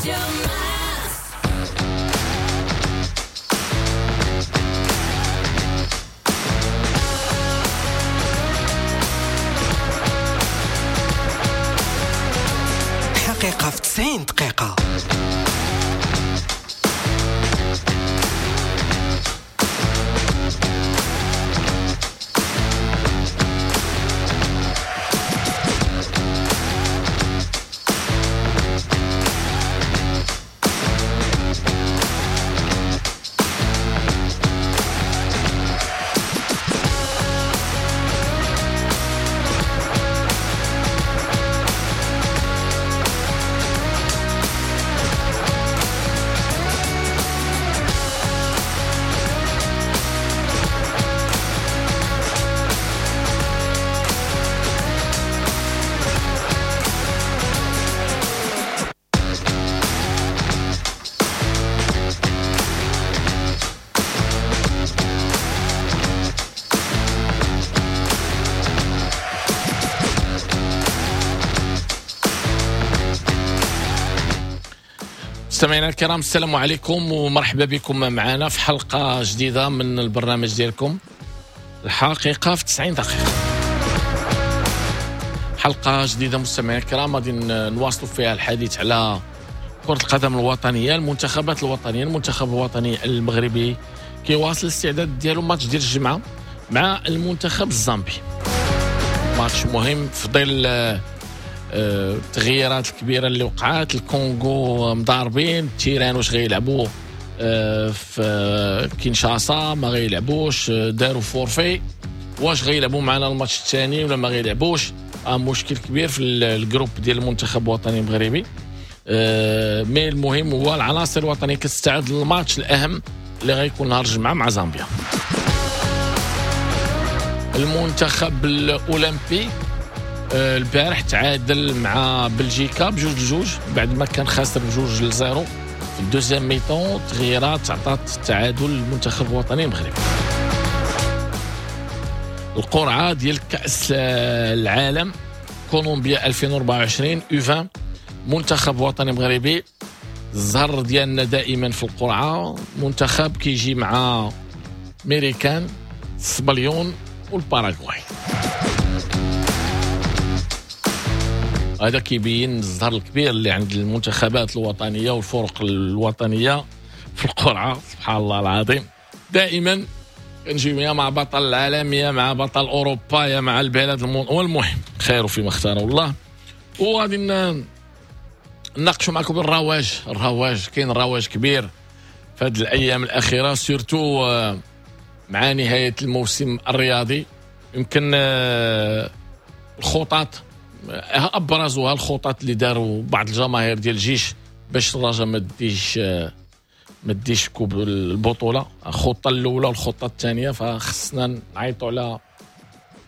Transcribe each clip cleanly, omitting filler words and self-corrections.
راديو مارس. حقيقة في 90 دقيقة. مستمعينا الكرام، السلام عليكم ومرحبا بكم معنا في حلقة جديدة من البرنامج ديالكم الحقيقة في 90 دقيقة. حلقة جديدة مستمعينا الكرام غادي نواصلوا فيها الحديث على كرة القدم الوطنية، المنتخبات الوطنية. المنتخب الوطني المغربي كيواصل الاستعداد ديالو ماتش ديال الجمعة مع المنتخب الزامبي، ماتش مهم في ظل التغييرات الكبيرة اللي وقعات. الكونغو مضاربين، ال terrain واش غيلعبوا في كينشاسا ما غيلعبوش، داروا forfait، واش غيلعبوا معنا الماتش الثاني ولا ما غيلعبوش. مشكل كبير في ال groupe ديال المنتخب الوطني المغربي. mais المهم هو العناصر الوطنية كتستعد للماتش الاهم اللي غيكون نهار الجمعة مع زامبيا. المنتخب الاولمبي البارح تعادل مع بلجيكا 2-2 بعد ما كان خاسر 2-0 في ال deuxième mi-temps. تغييرات عطات التعادل للمنتخب الوطني المغربي. القرعة ديال كأس العالم كولومبيا 2024 U20، منتخب وطني مغربي الزهر ديالنا دائما في القرعة، منتخب كيجي مع ميريكان، الصبليون والباراغواي. هذا كيبين الزهر الكبير اللي عند المنتخبات الوطنية والفرق الوطنية في القرعة. سبحان الله العظيم، دائما كنجيو يا مع بطل العالم يا مع بطل اوروبا يا مع البلد والمهم خير فيما اختاره الله. وغادي نناقشوا معكم الرواج. الرواج كاين رواج كبير في هذه الايام الاخيرة، surtout مع نهاية الموسم الرياضي. يمكن الخطط ابرزوها الخطط اللي داروا بعض الجماهير ديال الجيش باش الرجاء ما ديش coupe البطولة. الخطة الاولى والخطه الثانية، فخصنا نعيطوا على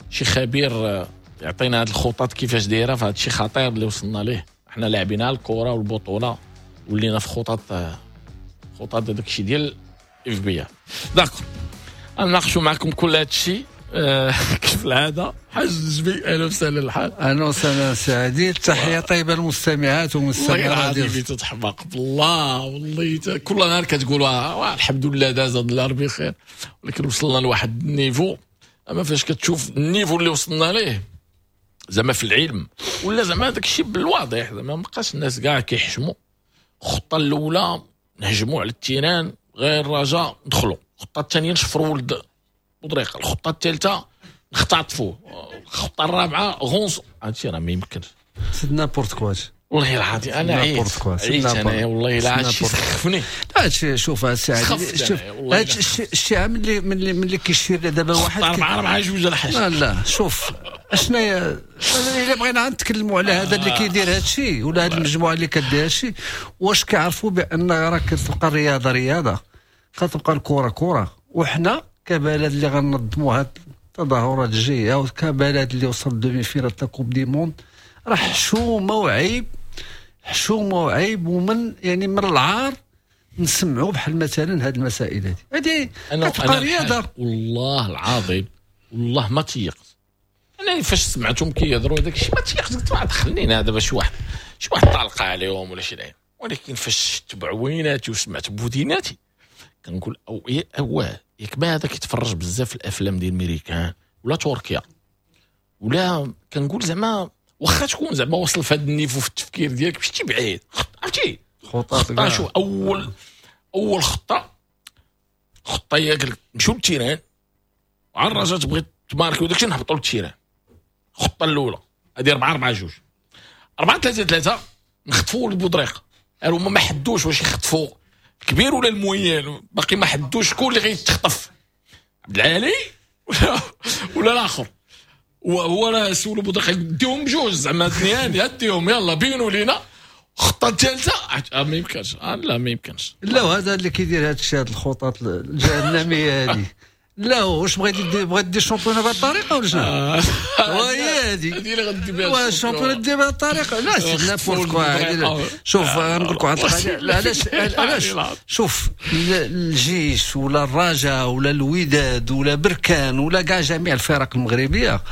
شي خبير يعطينا هذه الخطط كيفاش دايرة. فهذا الشيء خطير اللي وصلنا ليه، احنا لاعبين الكره والبطوله ولينا في خطط هذاك الشيء ديال FBI. d'accord، نناقشوا معكم كل هذا الشيء كيف العادة. حاج جبي، اهلا وسهلا. الحال اهلا وسهلا سعدي، تحية طيبة للمستمعات والمستمعين. والله العظيم تتحمق بالله، والله كل نهار كتقولوا الحمد لله داز هذا النهار بخير، ولكن وصلنا لواحد ال niveau. اما فاش كتشوف ال niveau اللي وصلنا ليه زعما في العلم ولا زعما داك الشيء بالواضح، زعما ما بقاش الناس كاع كيحشموا. الخطة الاولى نهجموا على ال terrain غير الرجاء ندخلوا، الخطة الثانية نشفروا ولد بطريقة، الخطة الثالثة نختطفوه، الخطة الرابعة غونص. هادشي راه ما يمكنش، c'est n'importe quoi. والله العظيم انا عييت انا والله الا هادشي سخفني. هادشي شوف السي شوف هادشي الشيء ملي كيشير دابا واحد 4-4-2 الحاج. لا شوف اشناهي الا بغينا نتكلموا على هذا اللي كيدير هادشي ولا هاد المجموعة اللي كدير هادشي، واش كيعرفوا بان راه كتبقى الرياضة رياضة، كتبقى الكره كره، وحنا كبلد اللي غننظموا هاد التظاهرات الجاية وكبلد اللي وصل demi-finale تاع coupe du monde، راه حشومه وعيب، حشومه وعيب، ومن يعني من العار نسمعوا بحال مثلا هاد المسائل هذه كتبقى رياضة. والله العظيم والله ما تيقت انا فاش سمعتهم كيهضروا هذاك الشيء، ما تيقت. قلت ما دخلنينا دابا شي واحد طالقه عليهم ولا شي لعيب. ولكن فاش شفت بعويناتي وسمعت بوديناتي كنقول او اواه، ياك ما هذا كيتفرج بزاف في الافلام ديال الميريكان ولا تركيا ولا، كنقول زعما واخا تكون زعما وصل في هذا ال niveau في التفكير ديالك مشيتي بعيد، عرفتي؟ خطه. شوف، اول خطه هي قال لك نمشيو لل terrain وعلى الرجاء تبغي تماركي وداكشي نهبطوا لل terrain. الخطة الاولى هذه 4-4-2. 4-3-3 نخطفوا البودريقه. هما ما حدوش واش يخطفوا الكبير ولا ال moyen، باقي ما حدوش شكون اللي غيتخطف، عبد العالي ولا الاخر. وهو راه سولو بودريقه ديهم بجوج زعما اثنين، ديهم يلا بينوا لينا. الخطة الثالثة ما يمكنش، لا ما يمكنش. لا، وهذا اللي كيدير هذا الشيء، هذه الخطط الجهنميه هذه، لا واش بغيتي دير؟ بغيت دير ال championnat بهذه الطريقة ولا شنو؟ وهي هذه. هذه اللي غدي بها ال championnat دير بهذه الطريقه؟ لا، c'est n'importe quoi. شوف، نقول لك واحد القضيه، علاش شوف الجيش ولا الرجاء ولا الوداد ولا بركان ولا كاع جميع الفرق المغربيه،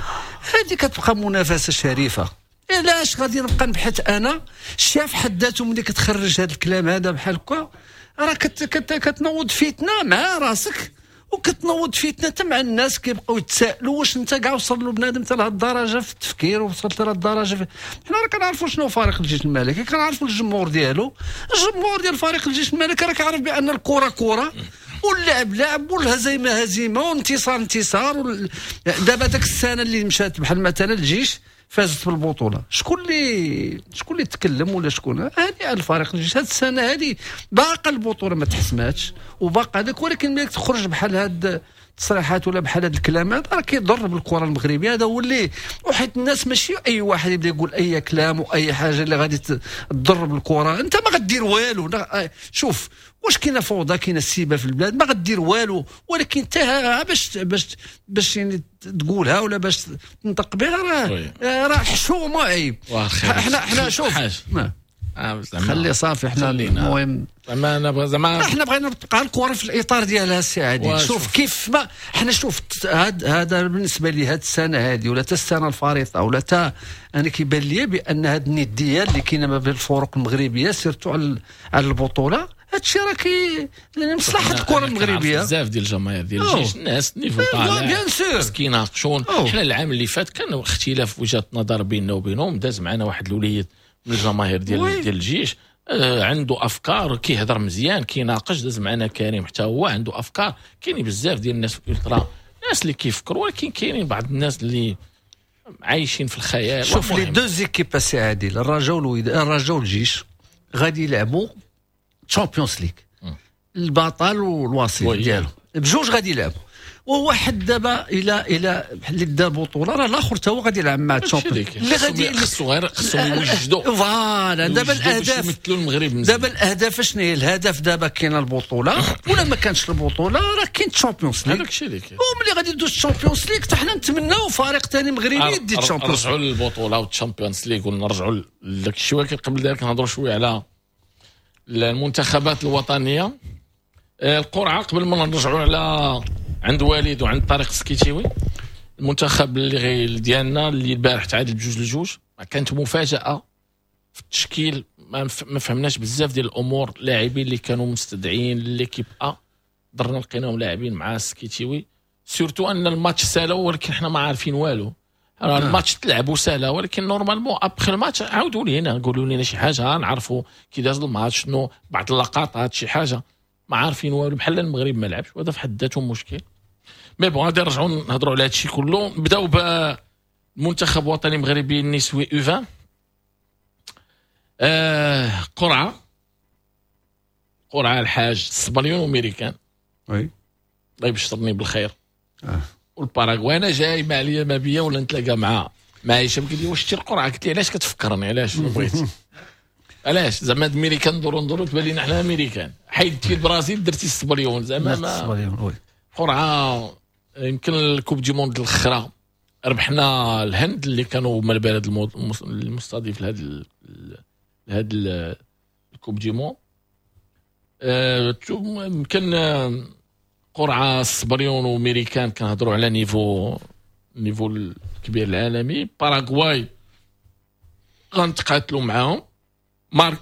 هذه كتبقى منافسه شريفه. علاش غادي نبقى نبحث انا؟ الشاف حد ذاته ملي كتخرج هذا الكلام هذا بحال هكا راه كتنوض فتنة مع راسك وكتنوض فتنة حتى مع الناس، كيبقاو يتسائلوا واش انت كاع وصل له بنادم حتى لهاد الدرجة في التفكير، وصلت لهاد الدرجة في. حنا راه كنعرفوا شنو فريق الجيش الملكي، كنعرفوا الجمهور ديالو. الجمهور ديال فريق الجيش الملكي راه كيعرف بان الكره كره واللعب لعب والهزيمة هزيمة والانتصار انتصار. دابا داك السنة اللي مشات، بحال مثلا الجيش فازت بالبطوله، شكون اللي تكلم ولا شكون هذه؟ الفريق الجيش هذه السنة هذه باقا البطولة ما تحسماتش وباقا هذاك، ولكن ملي تخرج بحال هاد التصريحات ولا بحال هاد الكلام هذا راه كيضر بالكرة المغربيه. هذا هو اللي، وحيت الناس ماشي اي واحد يبدا يقول اي كلام واي حاجة اللي غادي تضر بالكره. انت ما غدير والو. شوف واش كاينه فوضى، كاينه السيبه في البلاد، ما غدير والو، ولكن انت باش يعني تقولها ولا باش تنطق بها راه حشومه، عيب. حنا شوف، خلي صافي، حنا المهم زعما انا زعما احنا بغينا تبقى الكره في الاطار ديالها السي عادل. شوف كيف ما حنا شوف هذا بالنسبة لي هذه السنة هذه ولا حتى السنة الفارطه ولا تا انا كيبان لي بان هذه الندية اللي كاينه ما بين الفرق المغربية surtout على البطوله، هادشي راه كي مصلحة الكره المغربيه. بزاف ديال الجماهير ديال الجيش، الناس niveau طالع، bien sûr. كيناقشون. حنا العام اللي فات كان اختلاف وجهات نظر بيننا وبينهم. داز معنا واحد الوليد من الجماهير ديال الجيش، عنده افكار، كيهضر مزيان، كيناقش. داز معنا كريم حتى هو عنده افكار. كاينين بزاف ديال الناس في الالترا، الناس اللي كيفكروا، ولكن كاينين بعض الناس اللي عايشين في الخيال. شوف les deux équipes سي عادل، الرجاء والوداد، الرجاء والجيش غادي يلعبوا Champions League، البطل والوصيف ديالو بجوج غادي يلعبوا. وواحد دابا الى اللي دا بطوله راه الاخر حتى هو غادي يلعب مع ال Champions. اللي غادي خصو غير خصهم يوجدوا. voilà، دابا الاهداف يمثلوا المغرب. دابا الاهداف شنو هي؟ الهدف دابا كاين البطولة ولا ما كانش البطولة راه كاين Champions League. هذاك الشيء اللي كاين. وملي غادي دوز ال Champions League حتى حنا نتمناو فريق ثاني مغربي يدي ال Champions. نرجعوا للبطولة وال Champions League ونرجعوا لذاك الشيء، ولكن قبل ذلك نهضروا شوية على المنتخبات الوطنيه. القرعه، قبل ما نرجعوا على عند وليد وعند طارق السكيتيوي، المنتخب اللي غير ديالنا اللي البارح تعادل 2-2، كانت مفاجاة في التشكيل، ما فهمناش بزاف ديال الامور. لاعبين اللي كانوا مستدعين l'équipe A درنا لقيناهم لاعبين مع السكيتيوي، surtout ان الماتش سالا ولكن حنا ما عارفين والو. الماتش تلعب وسالا، ولكن normalement après الماتش عاودوا لينا، قولوا لنا شي حاجة نعرفوا كي داز الماتش، شنو بعض اللقطات، شي حاجه. ما عارفين والو، بحال المغرب ما لعبش، وهذا في حد ذاته مشكل. mais bon، غادي نرجعوا نهضروا على هادشي كله. نبداو بالمنتخب الوطني المغربي النسوي U20. قرعه الحاج، الصبليون وامريكان. oui. الله يبشرني بالخير. والباراغواي. انا جاي ما عليا ما بيا ولا نتلاقى مع هشام، قال لي واش شتي القرعه؟ قلت لي علاش كتفكرني؟ علاش بغيت علاش زعما امريكان ندورو ندورو تبان لينا حنا امريكان، حيدتي البرازيل درتي الصبليون زعما ما قرعه. يمكن ال Coupe du monde الاخرى ربحنا الهند اللي كانوا هما البلد المستضيف لهذا ال Coupe du monde. يمكن قرعه الصبليون وميريكان كنهضروا على niveau الكبير العالمي. باراغواي غنتقاتلوا معاهم. مار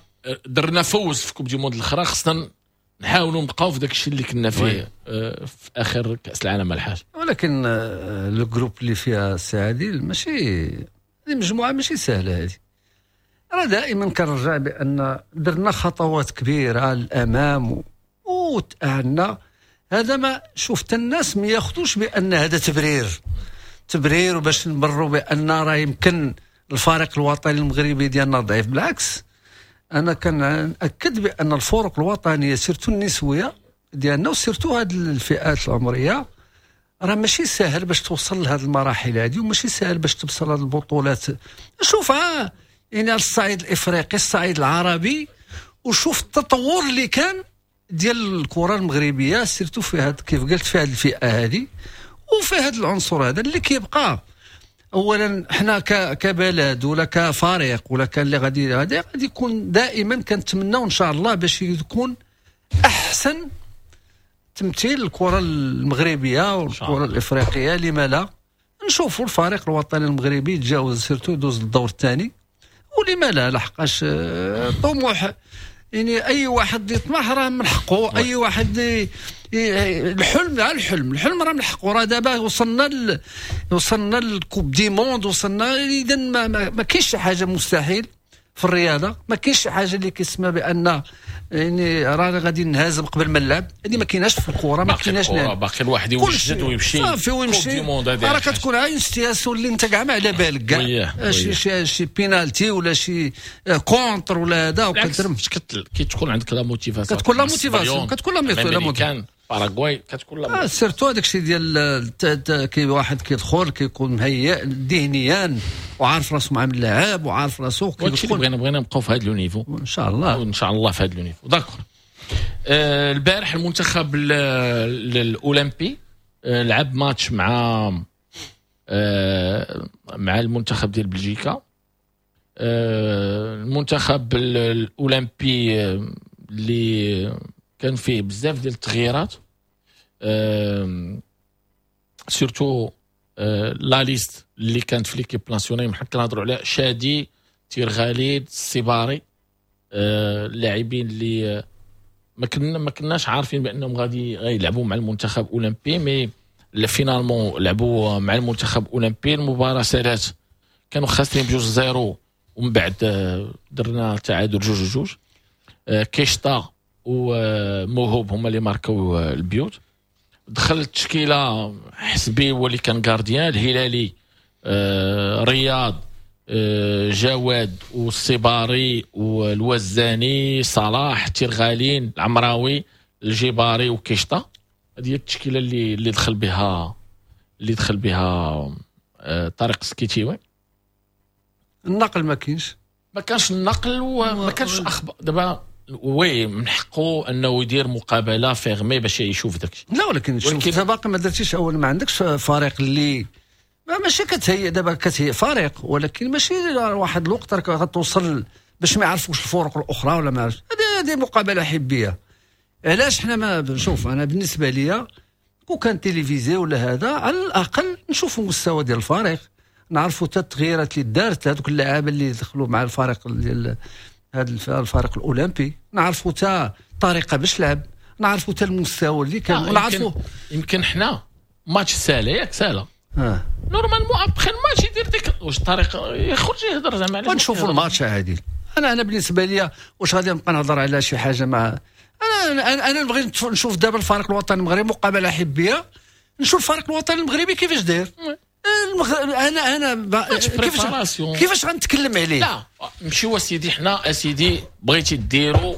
درنا فوز في Coupe du Monde الاخرى، خصنا نحاولوا نبقاو في داك الشيء اللي كنا فيه في اخر كاس العالم الحاج. ولكن le groupe اللي فيها السي عادل ماشي هذه مجموعة ماشي سهلة هذه. راه دائما كنرجع بان درنا خطوات كبيرة للامام وتاهلنا. هذا ما شفت الناس ما ياخذوش بان هذا تبرير وباش نبروا بان راه يمكن الفريق الوطني المغربي ديالنا ضعيف. بالعكس، انا كنأكد بان الفرق الوطنية surtout النسوية ديالنا و surtout هذه الفئات العمرية راه ماشي ساهل باش توصل لهذه المراحل هذه، وماشي ساهل باش توصل لهذه البطولات. شوفها يعني على الصعيد الافريقي، الصعيد العربي، وشوف التطور اللي كان ديال الكره المغربية surtout في هاد كيف قلت في هذه الفئة هذه وفي هذا العنصر هذا اللي كيبقى. اولا حنا كبلد ولا كفريق ولا كان اللي غادي يكون دائما كنتمناو ان شاء الله باش يكون احسن تمثيل الكره المغربية والكره الافريقية. لما لا نشوفوا الفريق الوطني المغربي يتجاوز surtout يدوز للدور الثاني، ولما لا، لحقاش طموح يعني اي واحد يطمح راه من حقه، اي واحد الحلم على الحلم راه من حقه. راه دابا وصلنا لل Coupe du Monde، وصلنا اذا ما كاينش شي حاجة مستحيل في الرياضة، ما كاينش شي حاجة اللي كيسمى بان يعني راه غادي نهزم قبل ما نلعب. هذه ما كايناش في الكره، ما كايناش. باقي الواحد يوجد ويمشي صافي ويمشي، راه كتكون عاين situation اللي انت كاع ما على بالك كاع، شي بينالتي ولا شي contre ولا هذا، وكترم كي تكون عندك la motivation، كتكون la motivation، كتكون la motivation. باراغواي كتكون la surtout هذاك الشيء ديال كي واحد كيدخل كيكون مهيئ ذهنيا وعارف راسو مع اللاعب وعارف راسو كيدخل. بغينا نبقاو في هذا le niveau ان شاء الله، ان شاء الله في هذا le niveau. d'accord. البارح المنتخب الاولمبي لعب ماتش مع المنتخب ديال بلجيكا. المنتخب الاولمبي اللي كان فيه بزاف ديال التغييرات، surtout la liste اللي كانت في l'équipe nationale. حنا كنهضروا على شادي، تيرغاليد، السيباري، اللاعبين اللي ما كناش عارفين بانهم غادي يلعبوا مع المنتخب الاولمبي، mais finalement لعبوا مع المنتخب الاولمبي. المباراة سالات كانوا خاسرين 2-0، ومن بعد درنا تعادل 2-2. كيشتا وموهوب هما اللي ماركوا البيوت. دخل التشكيلة حسبي هو اللي كان gardien، الهلالي، رياض، جواد والصباري والوزاني، صلاح، تيرغالين، العمراوي، الجباري وكيشتا. هذه هي التشكيلة اللي دخل بها طارق السكيتيوي. النقل ما كاينش، ما كانش النقل وما كانش اخبار. دابا oui من حقه انه يدير مقابله fermée باش يشوف داكشي. لا ولكن شوف باقي ما درتيش، اول ما عندكش فريق اللي ماشي كتهيئ دابا، كتهيئ فريق ولكن ماشي واحد الوقت راك غتوصل باش ما يعرفوش الفرق الاخرى ولا ما عرفش. هذه مقابله حبيه. علاش حنا ما شوف، انا بالنسبة ليا كون كان télévisé ولا هذا على الاقل نشوفوا المستوى ديال الفريق، نعرفوا حتى التغييرات اللي دارت هذوك اللاعبين اللي دخلوا مع الفريق ديال هذا الفريق الاولمبي، نعرفوا حتى الطريقة باش لعب، نعرفوا حتى المستوى اللي كان، ونعرفوا يمكن حنا ماتش سالا ياك سالا normalement après الماتش يدير ديك واش الطريقة يخرج يهضر زعما. علاش نشوفوا الماتش عادل. انا بالنسبة لي واش غادي نبقى نهضر على شي حاجة مع انا نبغي نشوف دابا الفريق الوطني المغربي مقابله حبيه، نشوف الفريق الوطني المغربي كيفاش داير. انا كيفاش غنتكلم عليه؟ لا مشيو اسيدي، حنا اسيدي بغيتي ديروا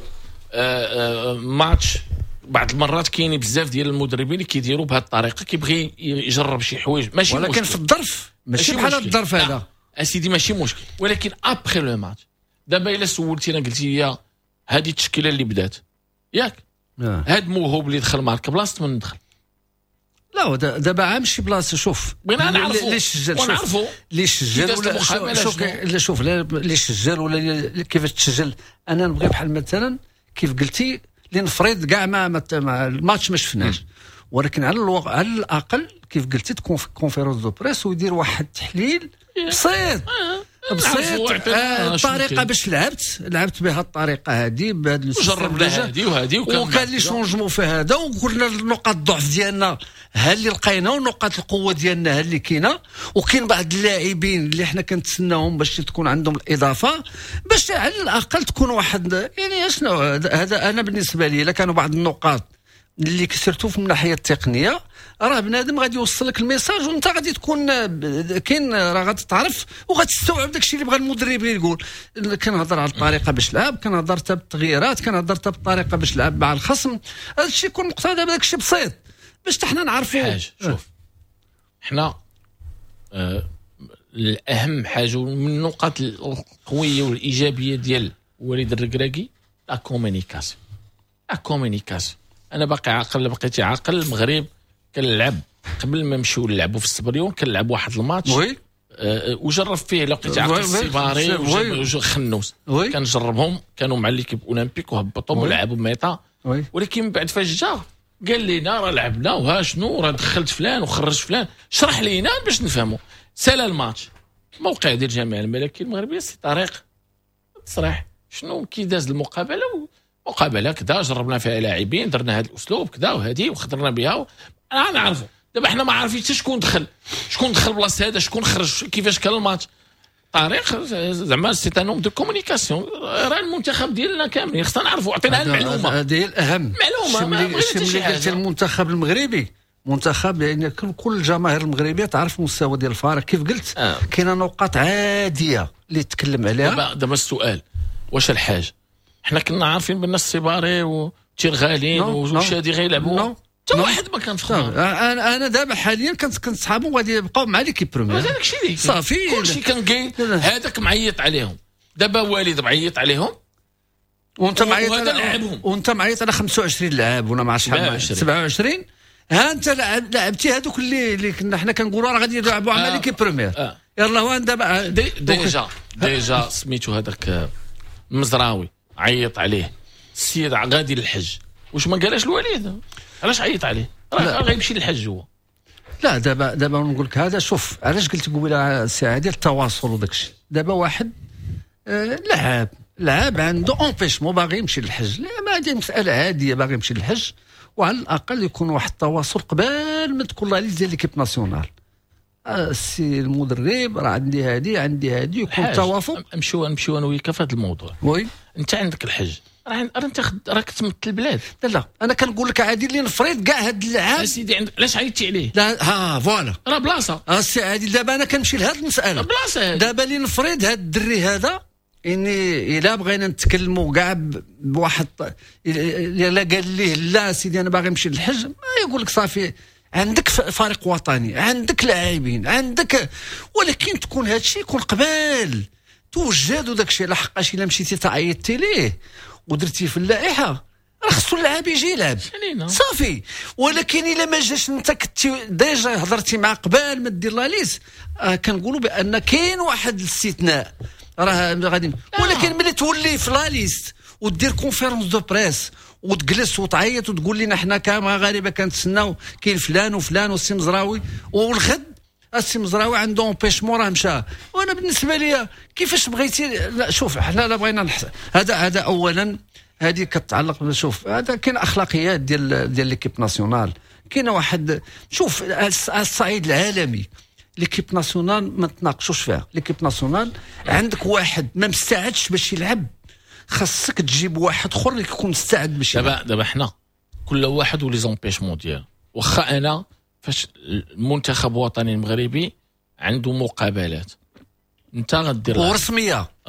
ماتش. بعض المرات كاين بزاف ديال المدربين اللي كيديروا بهذه الطريقة، كيبغي يجرب شي حوايج ماشي ولكن مشكل. في الظرف ماشي بحال الظرف هذا اسيدي ماشي مشكل، ولكن après le match. دابا الا سولتينا قلتي لي هذه التشكيلة اللي بدات ياك، هاد موهوب اللي دخل مارك بلاصة من دخل. لا دابا عام شي بلاصة. شوف بغينا نعرفوا اللي سجل، اللي سجل ولا شوف، لا شوف اللي سجل ولا كيفاش تسجل. انا نبغي بحال مثلا كيف قلتي لنفرض كاع ما الماتش ما شفناش، ولكن على الاقل كيف قلتي تكون في conférence de presse ويدير واحد التحليل بسيط. بسيط. الطريقة باش لعبت بها الطريقة هذه بهذا جربنا هذه وهذه وكان les changements في هذا، وقلنا نقاط الضعف ديالنا ها اللي لقينا ونقاط القوة ديالنا ها اللي كاينه، وكاين بعض اللاعبين اللي حنا كنتسناهم باش تكون عندهم الاضافة باش على الاقل تكون واحد يعني شنو هذا. انا بالنسبة لي الا كانوا بعض النقاط اللي كسرتو في الناحية التقنية راه بنادم غادي يوصل لك ال message، وانت غادي تكون كاين راه غادي تعرف وغتستوعب داكشي اللي بغى المدرب يقول. كنهضر على الطريقة باش لعب، كنهضر حتى بالتغييرات، كنهضر حتى بالطريقة باش لعب مع الخصم. هذا الشيء يكون مقتضى بداك الشيء بسيط باش حنا نعرفوا حاجة. شوف حنا الاهم حاجة من النقاط القوية والايجابية ديال وليد الركراكي la communication. la communication انا باقي عاقل، بقيتي عاقل. المغرب كنلعب قبل ما نمشيو نلعبوا في السبريون كنلعب واحد الماتش oui وجرب فيه لو بقيتي عاقل السيباري وخنوس كنجربهم، كانوا مع l'équipe olympique وهبطهم ولعبوا mi-temps. ولكن من بعد فاش جا قال لنا راه لعبنا وها شنو راه دخلت فلان وخرجت فلان، شرح لينا باش نفهموا. سالا الماتش موقع ديال الجامعة الملكية المغربية سي طريق تصريح شنو كي داز المقابلة، مقابله كذا جربنا فيها لاعبين، درنا هذا الاسلوب كذا وهذه وخضرنا بها. انا نعرفوا دابا حنا ما عارفين حتى شكون دخل، شكون دخل بلاصة هذا، شكون خرج، كيفاش كان الماتش. طريق زعما c'est un homme de communication. راه المنتخب ديالنا كاملين خصنا نعرفوا، عطينا المعلومة هذه هي الاهم معلومة. ملي قلت المنتخب المغربي منتخب يعني كل الجماهير المغربية تعرف المستوى ديال الفريق كيف قلت. كاينه نقاط عادية اللي تكلم عليها. دابا السؤال واش الحاج حنا كنا عارفين بان السيباري وتيرغالين وشادي غيلعبوا، حتى واحد ما كان في خبر. انا دابا حاليا كنت صحابهم غادي يبقاو مع l'équipe première، هذاك الشيء اللي صافي كلشي كان كاين. هذاك معيط عليهم، دابا وليد معيط عليهم وانت معيط على وانت معيط على 25 لاعب ولا مع شحال 27. ها انت لعبتي هذوك اللي كنا حنا كنقولوا راه غادي يلعبوا مع l'équipe première. يلاه هو دابا déjà سميتو هذاك المزراوي عيط عليه السيد غادي للحج، واش ما قالهاش الوليد؟ علاش عيط عليه؟ راه غيمشي للحج هو. لا دابا نقول لك هذا. شوف علاش قلت قبيلة السي عادل التواصل وداك الشيء. دابا واحد لعاب عنده empêchement باغي يمشي للحج، لا ما هذه مسالة عادية، باغي يمشي للحج، وعلى الاقل يكون واحد التواصل قبل ما تكون la liste ديال l'équipe nationale. السي المدرب راه عندي هادي عندي هادي، يكون التوافق. نمشيو انا وياك في هذا الموضوع. oui انت عندك الحج، راه انت راك تمثل البلاد. لا انا كنقول لك عادل اللي نفرض كاع هاد اللعاب سيدي عندك علاش عيطتي عليه؟ لا ها voilà راه بلاصة السي عادل. دابا انا كنمشي لهاد المسالة بلاصة. دابا اللي نفرض هاد الدري هذا اني الا بغينا نتكلموا كاع بواحد الا قال ليه لا سيدي انا باغي نمشي للحج، ما يقول لك صافي عندك فريق وطني، عندك لاعبين، عندك، ولكن تكون هادشي يكون قبل توجد وداك الشيء. لحقاش الا مشيتي تعيطتي ليه ودرتي في اللائحة راه خصو اللاعب يجي يلعب صافي. ولكن الا ما جاش انت كنتي déjà هضرتي مع قبل ما دير la liste، كنقولوا بان كاين واحد الاستثناء راه غادي. ولكن ملي تولي في la liste ودير conférence de presse وتجلس وتعيط وتقول لنا حنا كمغاربه كنتسناو كاين فلان وفلان والسي مزراوي، والغد السي مزراوي عنده empêchement راه مشى. وانا بالنسبة لي كيفاش بغيتي؟ لا شوف حنا لا بغينا هذا اولا هذه كتعلق. شوف هذا كاين اخلاقيات ديال l'équipe nationale، كاين واحد شوف على الصعيد العالمي l'équipe nationale ما تناقشوش فيها. l'équipe nationale عندك واحد ما مستعدش باش يلعب، خاصك تجيب واحد اخر اللي يكون مستعد باش يلعب. دابا حنا كل واحد و les empêchements ديالو. واخا انا فاش المنتخب الوطني المغربي عنده مقابلات انت غدير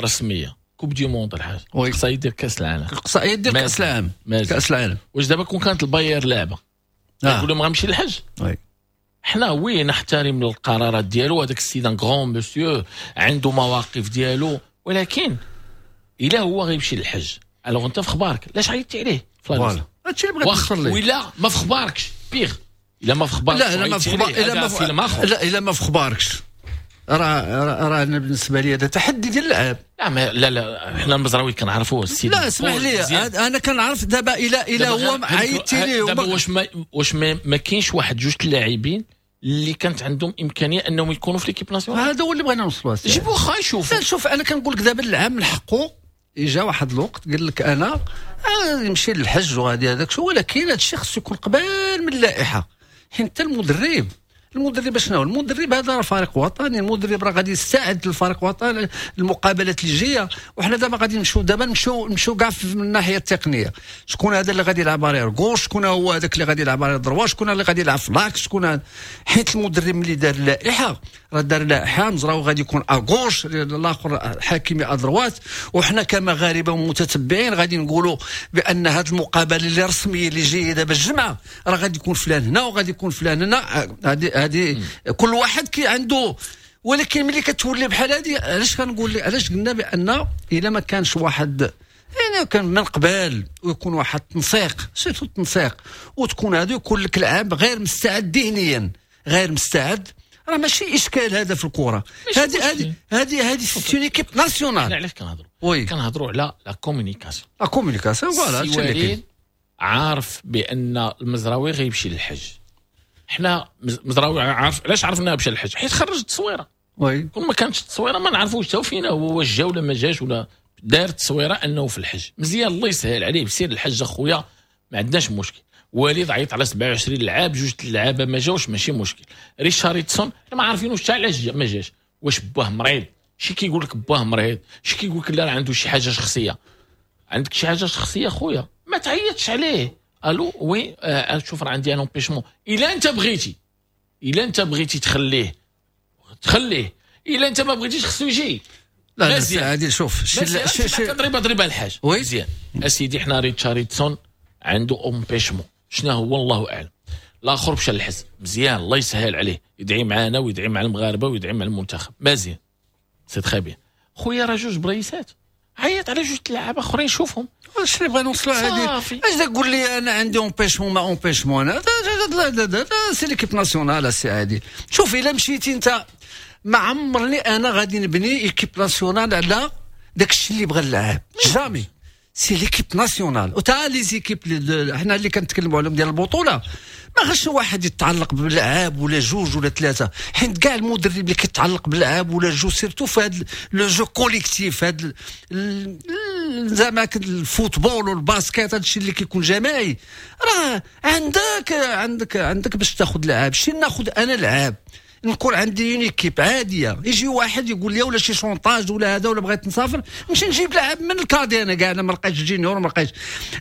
رسمية coupe du monde الحاج خصها يدير كاس العالم، خصها يدير كاس العالم، كاس العالم. واش دابا كون كانت الباير لعبه يقولوا ما غنمشي للحج؟ oui حنا oui نحترم القرارات ديالو، هذاك السيد un grand monsieur عنده مواقف ديالو، ولكن الا هو غيمشي للحج alors انت في خبارك علاش عيطتي عليه؟ voilà هادشي اللي بغيت نوصل ليه. ولا ما في خباركش pire، الا ما في خباركش، لا ما في خبار، الا لا الا ما في خباركش راه انا بالنسبة لي هذا تحدي ديال اللعاب. لا لا لا حنا المزراوي كنعرفوه السيد. لا اسمح لي انا كنعرف دابا الى هو عيطتي ليه دابا واش ما كاينش واحد جوج اللاعبين اللي كانت عندهم امكانية انهم يكونوا في l'équipe nationale. هذا هو اللي بغينا نوصلوا. جيبوا واخا يشوفوا. شوف انا كنقول لك دابا العام من حقه اجا واحد الوقت قال لك انا نمشي للحج وغادي هذاك شو، ولكن هذا الشيء خصو يكون قبل من اللائحة، حيت حتى المدرب شنو هو؟ المدرب هذا راه فريق وطني، المدرب راه غادي يستعد للفريق الوطني المقابلات اللي جاية. وحنا دابا غادي نمشيو دابا نمشيو كاع من الناحية التقنية، شكون هذا اللي غادي يلعب arrière gauche، شكون هو هذاك اللي غادي يلعب arrière droit، شكون اللي غادي يلعب في l'axe، شكون، حيت المدرب ملي دار اللائحة راه دار اللائحة مزراوي غادي يكون à gauche، الاخر حكيمي à droite. وحنا كمغاربه ومتتبعين غادي نقولوا بان هذه المقابلة اللي رسمية اللي جاية دابا الجمعة راه غادي يكون فلان هنا وغادي يكون فلان هنا، هذه كل واحد كي عنده. ولكن ملي كتولي بحال هذه، علاش كنقول علاش قلنا بان الا ما كانش واحد يعني كان من قبل ويكون واحد التنسيق، surtout التنسيق، وتكون هذا يكون لك العاب غير مستعد ذهنيا، غير مستعد، راه ماشي اشكال هذا في الكره. هذه هذه هذه c'est une équipe nationale. علاش كنهضروا؟ كنهضروا على la communication. la communication voilà. وليد عارف بان المزراوي غيمشي للحج. حنا مزراوي عارف علاش عرفنا مشى للحج؟ حيت خرج التصويره. oui كون ما كانتش التصويره ما نعرفوش حتى فينا هو واش جا ولا ما جاش، ولا دار التصويره انه في الحج. مزيان الله يسهل عليه، بسير الحج اخويا ما عندناش مشكل. وليد عيط على 27 لعاب، جوج اللعابه ما جاوش ماشي مشكل. ريتشاردسون ما عارفينوش حتى علاش ما جاش، واش باه مريض؟ شي كيقول لك باه مريض، شي كيقول لك لا راه عنده شي حاجة شخصية. عندك شي حاجة شخصية خويا ما تعيطش عليه. allô oui شوف راه عندي un empêchement. الا انت بغيتي، الا انت بغيتي تخليه تخليه، الا انت ما بغيتيش خصو يجي. لا لا عادل شوف شي ضريبة ضريبة الحاج مزيان اسيدي. حنا ريتشاردسون عنده empêchement، شنو هو الله اعلم. الاخر مشى للحج مزيان الله يسهل عليه، يدعي معانا ويدعي مع المغاربة ويدعي مع المنتخب مزيان، c'est très bien. خويا راه جوج بريسات، عيط على جوج لعابه اخرين شوفهم. واش اللي بغينا نوصلوا هذه؟ اش تقول لي انا عندي empêchement ما empêchement؟ انا c'est l'équipe nationale سي عادل. شوف الا مشيتي انت، ما عمرني انا غادي نبني équipe nationale على داك الشيء اللي بغى اللاعب، jamais. c'est l'équipe nationale وتا les équipes حنا اللي كنتكلموا عليهم ديال البطولة، ما خصش واحد يتعلق بلعاب ولا جوج ولا ثلاثة، حيت كاع المدرب اللي كيتعلق بلعاب ولا جوج surtout في هذا le jeu collectif، هذا زعما ال football وال basket، هذا الشيء اللي كيكون جماعي، راه عندك عندك عندك باش تاخذ لعاب. شي ناخذ انا لعاب نكون عندي une équipe عادية، يجي واحد يقول لي ولا شي chantage ولا هذا ولا بغيت نسافر نمشي نجيب لاعب من ال cadets. انا كاع انا ما لقيتش junior ما لقيتش.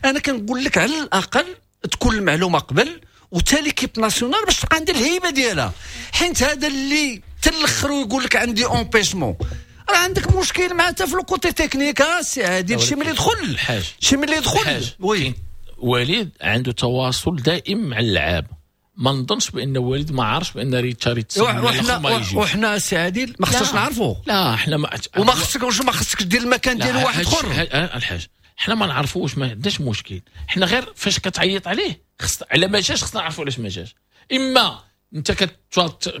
انا كنقول لك على الاقل تكون المعلومة قبل، وتا l'équipe nationale باش تبقى عندها الهيبة ديالها، حيت هذا اللي تلخر ويقول لك عندي empêchement راه عندك مشكل مع حتى في le côté technique. سي عادل شي ملي يدخل الحاج، شي ملي يدخل oui وليد عنده تواصل دائم مع اللعاب، ما نظنش بان وليد ما عارفش بان ريتشاردسون وحنا سي عادل ما خصناش نعرفوه. لا حنا ما وما خصك ما خصكش دير المكان ديال واحد اخر. الحاج حنا ما نعرفوش، ما عندناش مشكل. حنا غير فاش كتعيط عليه خص على ما جاش خصنا نعرفوا علاش ما جاش. اما انت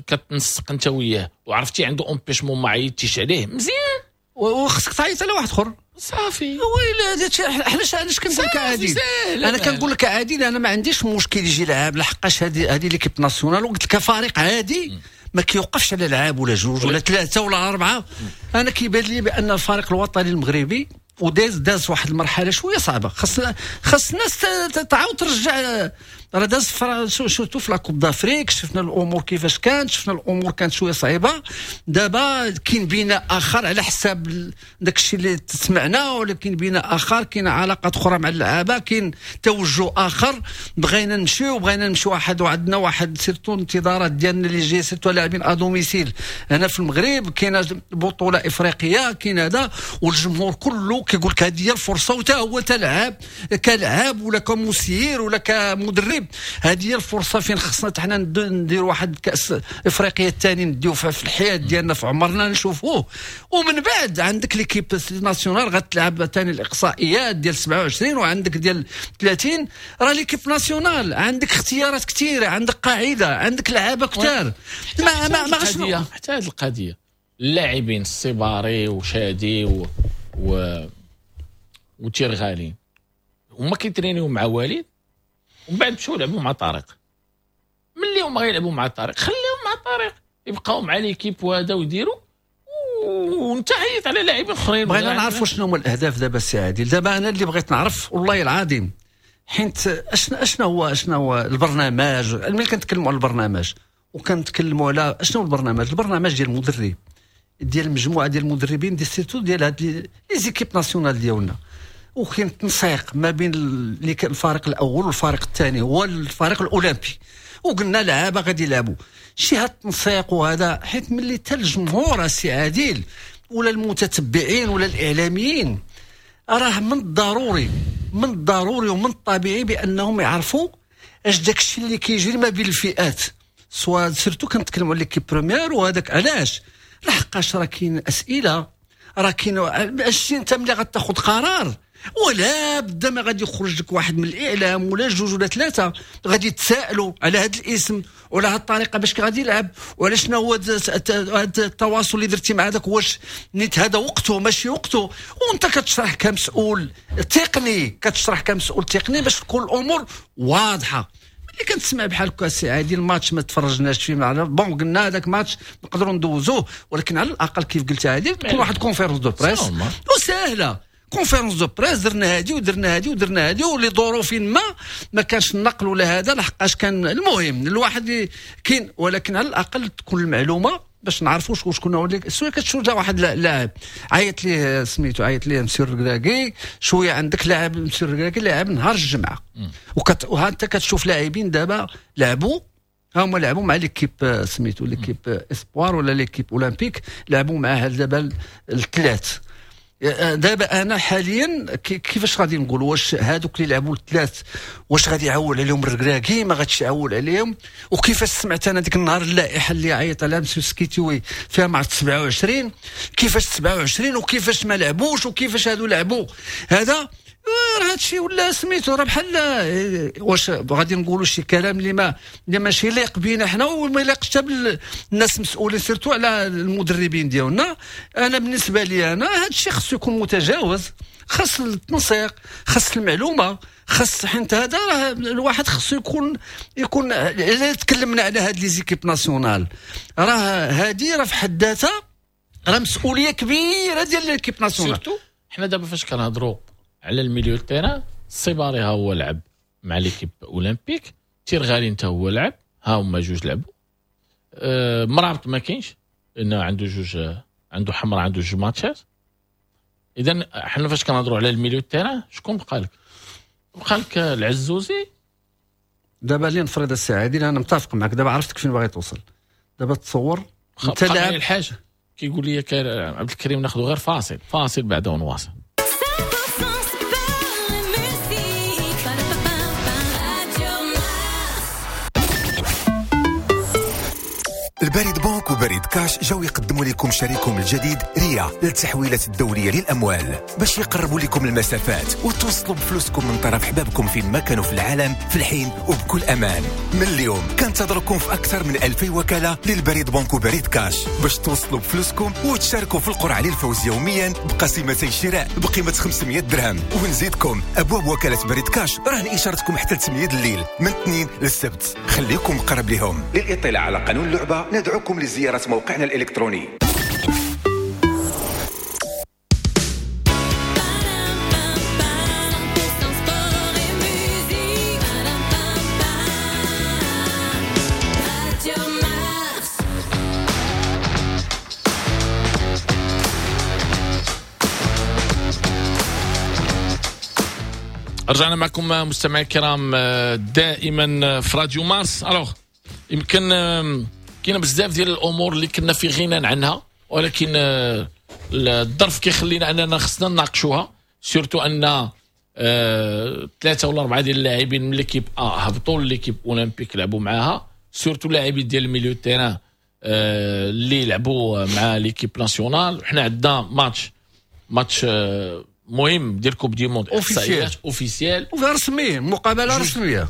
كتنسق انت وياه وعرفتي عنده empêchement ما عيطتيش عليه مزيان، وخصك تعيط على واحد اخر صافي. ويلا حنا علاش كنقول لك عادل؟ انا كنقول لك عادل انا ما عنديش مشكل يجي لعاب، لحقاش هذه l'équipe nationale وقلت لك فريق عادي ما كيوقفش على لعاب ولا جوج ولا ثلاثة ولا اربعة. انا كيبان لي بان الفريق الوطني المغربي وداز داز واحد المرحلة شوية صعبة، خص الناس تعاود ترجع. راه داز surtout في la Coupe d'Afrique، شفنا الامور كيفاش كانت، شفنا الامور كانت شوية صعيبة. دابا كاين بناء اخر على حساب داك الشيء اللي سمعنا، ولكن بناء اخر، كاين علاقات اخرى مع اللعابه، كاين توجه اخر. بغينا نمشيو بغينا نمشيو واحد، وعندنا واحد surtout انتظارات ديالنا اللي جاي surtout لاعبين à domicile هنا في المغرب، كاين بطوله افريقية، كاين هذا، والجمهور كله كيقول لك هذه هي الفرصة، وتا هو تلعب كلاعب ولا كمسير ولا كمدرب، هذه هي الفرصة فين خصنا حنا نديروا واحد كاس افريقيا الثاني نديو في الحياة ديالنا في عمرنا نشوفوه. ومن بعد عندك l'équipe nationale غتلعب ثاني الاقصائيات ديال 27 وعندك ديال 30. راه l'équipe nationale عندك اختيارات كثيرة، عندك قاعدة، عندك لعابه كثار. ما ما ما حتى هذه القضية اللاعبين السيباري وشادي و وتيرغالي هما كيترينيو مع وليد ومن بعد مشاو لعبوا مع طارق. ملي هما غيلعبوا مع طارق خليهم مع طارق، يبقاو مع l'équipe وهذا ويديروا، وانت عيط على لاعبين اخرين. بغينا نعرفوا شنو هما الاهداف دابا السي عادل. دابا انا اللي بغيت نعرف والله العظيم، حيت اشنا هو البرنامج. ملي كنتكلموا على البرنامج وكنتكلموا على اشنو البرنامج، البرنامج ديال المدرب، ديال المجموعة ديال المدربين، ديال surtout ديال هاد les équipes nationales ديالنا، وكاين تنسيق ما بين الفريق الاول والفريق الثاني هو الفريق الاولمبي، وقلنا لعابه غادي يلعبوا شي هاد التنسيق وهذا. حيت ملي حتى الجمهور السي عادل ولا المتتبعين ولا الاعلاميين، راه من الضروري ومن الطبيعي بانهم يعرفوا اش داك الشيء اللي كيجري ما بين الفئات، soit surtout كنتكلموا على l'équipe première وهذاك. علاش؟ لحقاش راه كاين اسئلة، راه كاين الشيء. انت ملي غتاخذ قرار ولا بدا ما غادي يخرج لك واحد من الاعلام ولا جوج ولا ثلاثة غادي يتسائلوا على هذا الاسم ولا هذه الطريقة باش غادي يلعب، ولا شنو هو هذا التواصل اللي درتي مع هذاك، واش نيت هذا وقته ماشي وقته. وانت كتشرح كمسؤول تقني، باش تكون الامور واضحة. ملي كنتسمع بحال هكا السي عادل، الماتش ما تفرجناش فيه معنا، bon قلنا هذاك ماتش نقدروا ندوزوه، ولكن على الاقل كيف قلت عادل تكون واحد conférence de presse وسهلة، conférence de presse درنا هادي ودرنا هادي ودرنا هادي، ولظروف ما كانش النقل ولا هذا، لحقاش كان المهم الواحد كاين، ولكن على الاقل تكون المعلومة باش نعرفوا شكون هو اللي سوا. كتشوف واحد لاعب عيط ليه سميتو، عيط ليه مسيو الركراكي، شوية عندك لاعب مسيو الركراكي لاعب نهار الجمعة، وها انت كتشوف لاعبين دابا لعبوا، هما لعبوا مع l'équipe سميتو l'équipe espoir ولا l'équipe olympique، لعبوا معاه دابا الثلاث. دابا انا حاليا كيفاش غادي نقول واش هادوك اللي لعبوا الثلاث واش غادي يعول عليهم الركراكي ما غاديش يعول عليهم؟ وكيفاش سمعت انا ديك النهار اللائحة اللي عيط عليها مسيو سكيتيوي فيها مع 27، كيفاش 27 وكيفاش ما لعبوش وكيفاش هادو لعبوا؟ هذا راه هادشي ولا سميتو راه بحال واش غادي نقولوا شي كلام اللي ماشي يليق بينا حنا وما يليقش حتى بالناس مسؤولين surtout على المدربين ديالنا. انا بالنسبة لي انا هادشي خصو يكون متجاوز، خاص التنسيق، خاص المعلومة، خاص حيت هذا راه الواحد خصو يكون الا تكلمنا على هاد les équipes nationales راه هادي راه في حد ذاتها راه مسؤولية كبيرة ديال l'équipe nationale. surtout حنا دابا فاش كنهضروا على ال milieu terrain، الصباري ها هو لعب مع l'équipe olympique، تيرغالي انت هو لعب، ها هما جوج لعبوا، مرابط ما كاينش لانه عنده جوج، عنده حمراء، عنده جوج ماتشات. اذا حنا فاش كنهضروا على ال milieu terrain شكون بقى لك؟ بقى لك العزوزي. دابا اللي نفرض السي عادل انا متفق معك، دابا عرفتك فين باغي توصل. دابا تصور انت لاعب الحاجة كيقول لي عبد الكريم ناخذ غير فاصل بعد ونواصل. البريد بنك وبريد كاش جاو يقدموا لكم شريكهم الجديد ريا للتحويلات الدولية للأموال باش يقربوا لكم المسافات وتوصلوا بفلوسكم من طرف حبابكم فين ما كانوا في العالم في الحين وبكل أمان. من اليوم كنتظركم في أكثر من 2000 وكالة للبريد بنك وبريد كاش باش توصلوا بفلوسكم وتشاركوا في القرعة للفوز يوميا بقسيمتي شراء بقيمة 500 درهم. ونزيدكم أبواب وكالة بريد كاش رهن إشارتكم حتى 8 الليل من الاثنين للسبت. خليكم قرب لهم. للإطلاع على قانون اللعبة ندعوكم لزيارة موقعنا الإلكتروني. رجعنا معكم مستمعي الكرام دائما في راديو مارس. alors يمكن كاين بزاف ديال الامور اللي كنا في غنى عنها، ولكن الظرف كيخلينا اننا خصنا نناقشوها، surtout ان 3 ولا 4 ديال اللاعبين من l'équipe A هبطوا l'équipe olympique لعبوا معاها، surtout اللاعبين ديال ال milieu terrain اللي لعبوا مع l'équipe nationale. حنا عندنا ماتش مهم ديال coupe du monde officiel رسمي، مقابله رسمية،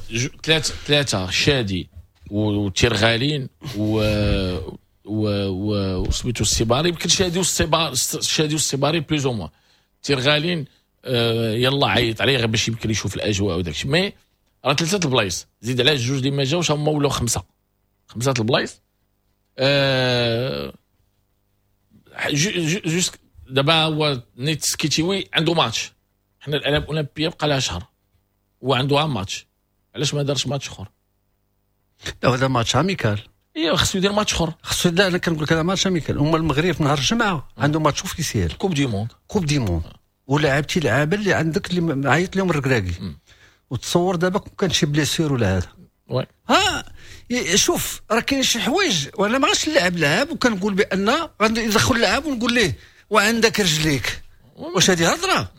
3 شادي وتيرغالين و وسميتو السيباري. يمكن شادي والسيباري plus ou moins. تيرغالين يلا عيط عليه غير باش يمكن يشوف الاجواء وداك الشيء، mais راه 3 البلايص زيد على جوج اللي ما جاوش هما ولاو 5 البلايص. juste دابا هو نيت سكيتيوي عنده ماتش، حنا الالعاب الاولمبية بقى لها شهر وعنده ماتش، علاش ما دارش ماتش اخر؟ لا هذا match amical. ايوا خصو يدير ماتش اخر. خصو، لا انا كنقول لك هذا match amical. هما المغرب في نهار الجمعة عنده match officiel، coupe du monde. coupe du monde، ولعبتي لعابه اللي عندك اللي عيط لهم الركراكي، وتصور دابا كون كان شي blessure ولا هذا. oui. ها شوف راه كاين شي حوايج، وانا ما غاش نلعب لعاب وكنقول بان غادي يدخل لعاب ونقول ليه وعندك رجليك، واش هذه هضره؟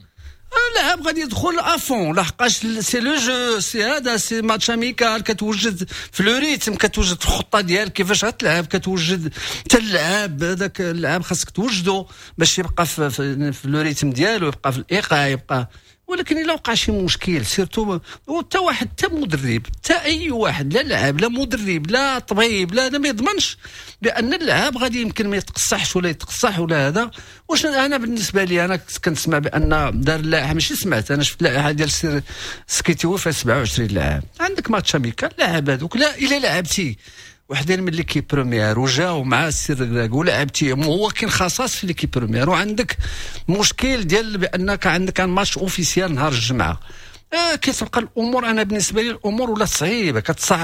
اللاعب غادي يدخل à fond، لحقاش c'est le jeu، c'est هذا c'est match amical، كتوجد في le rythme، كتوجد الخطة ديالك كيفاش غتلعب، كتوجد حتى اللعاب، هذاك اللعاب خاصك توجدو باش يبقى في le rythme ديالو، يبقى في الايقاع يبقى. ولكن الا وقع شي مشكل surtout حتى واحد، حتى مدرب، حتى اي واحد، لا لاعب لا مدرب لا طبيب لا، ما يضمنش بان اللاعب غادي يمكن ما يتقصحش ولا يتقصح ولا هذا. واش انا بالنسبة لي انا كنت كنسمع بان دار اللائحه، ماشي سمعت، انا شفت اللائحة ديال سير سكيتيوي فيها 27 لاعب. عندك match amical، لاعب هذوك لا الا لعبتي وحدين من l'équipe première وجاو مع السير ولعبتي، هو كاين خصاص في l'équipe première، وعندك مشكل ديال بانك عندك un match officiel نهار الجمعة، كتبقى الامور. انا بالنسبة لي الامور ولا صعيبة،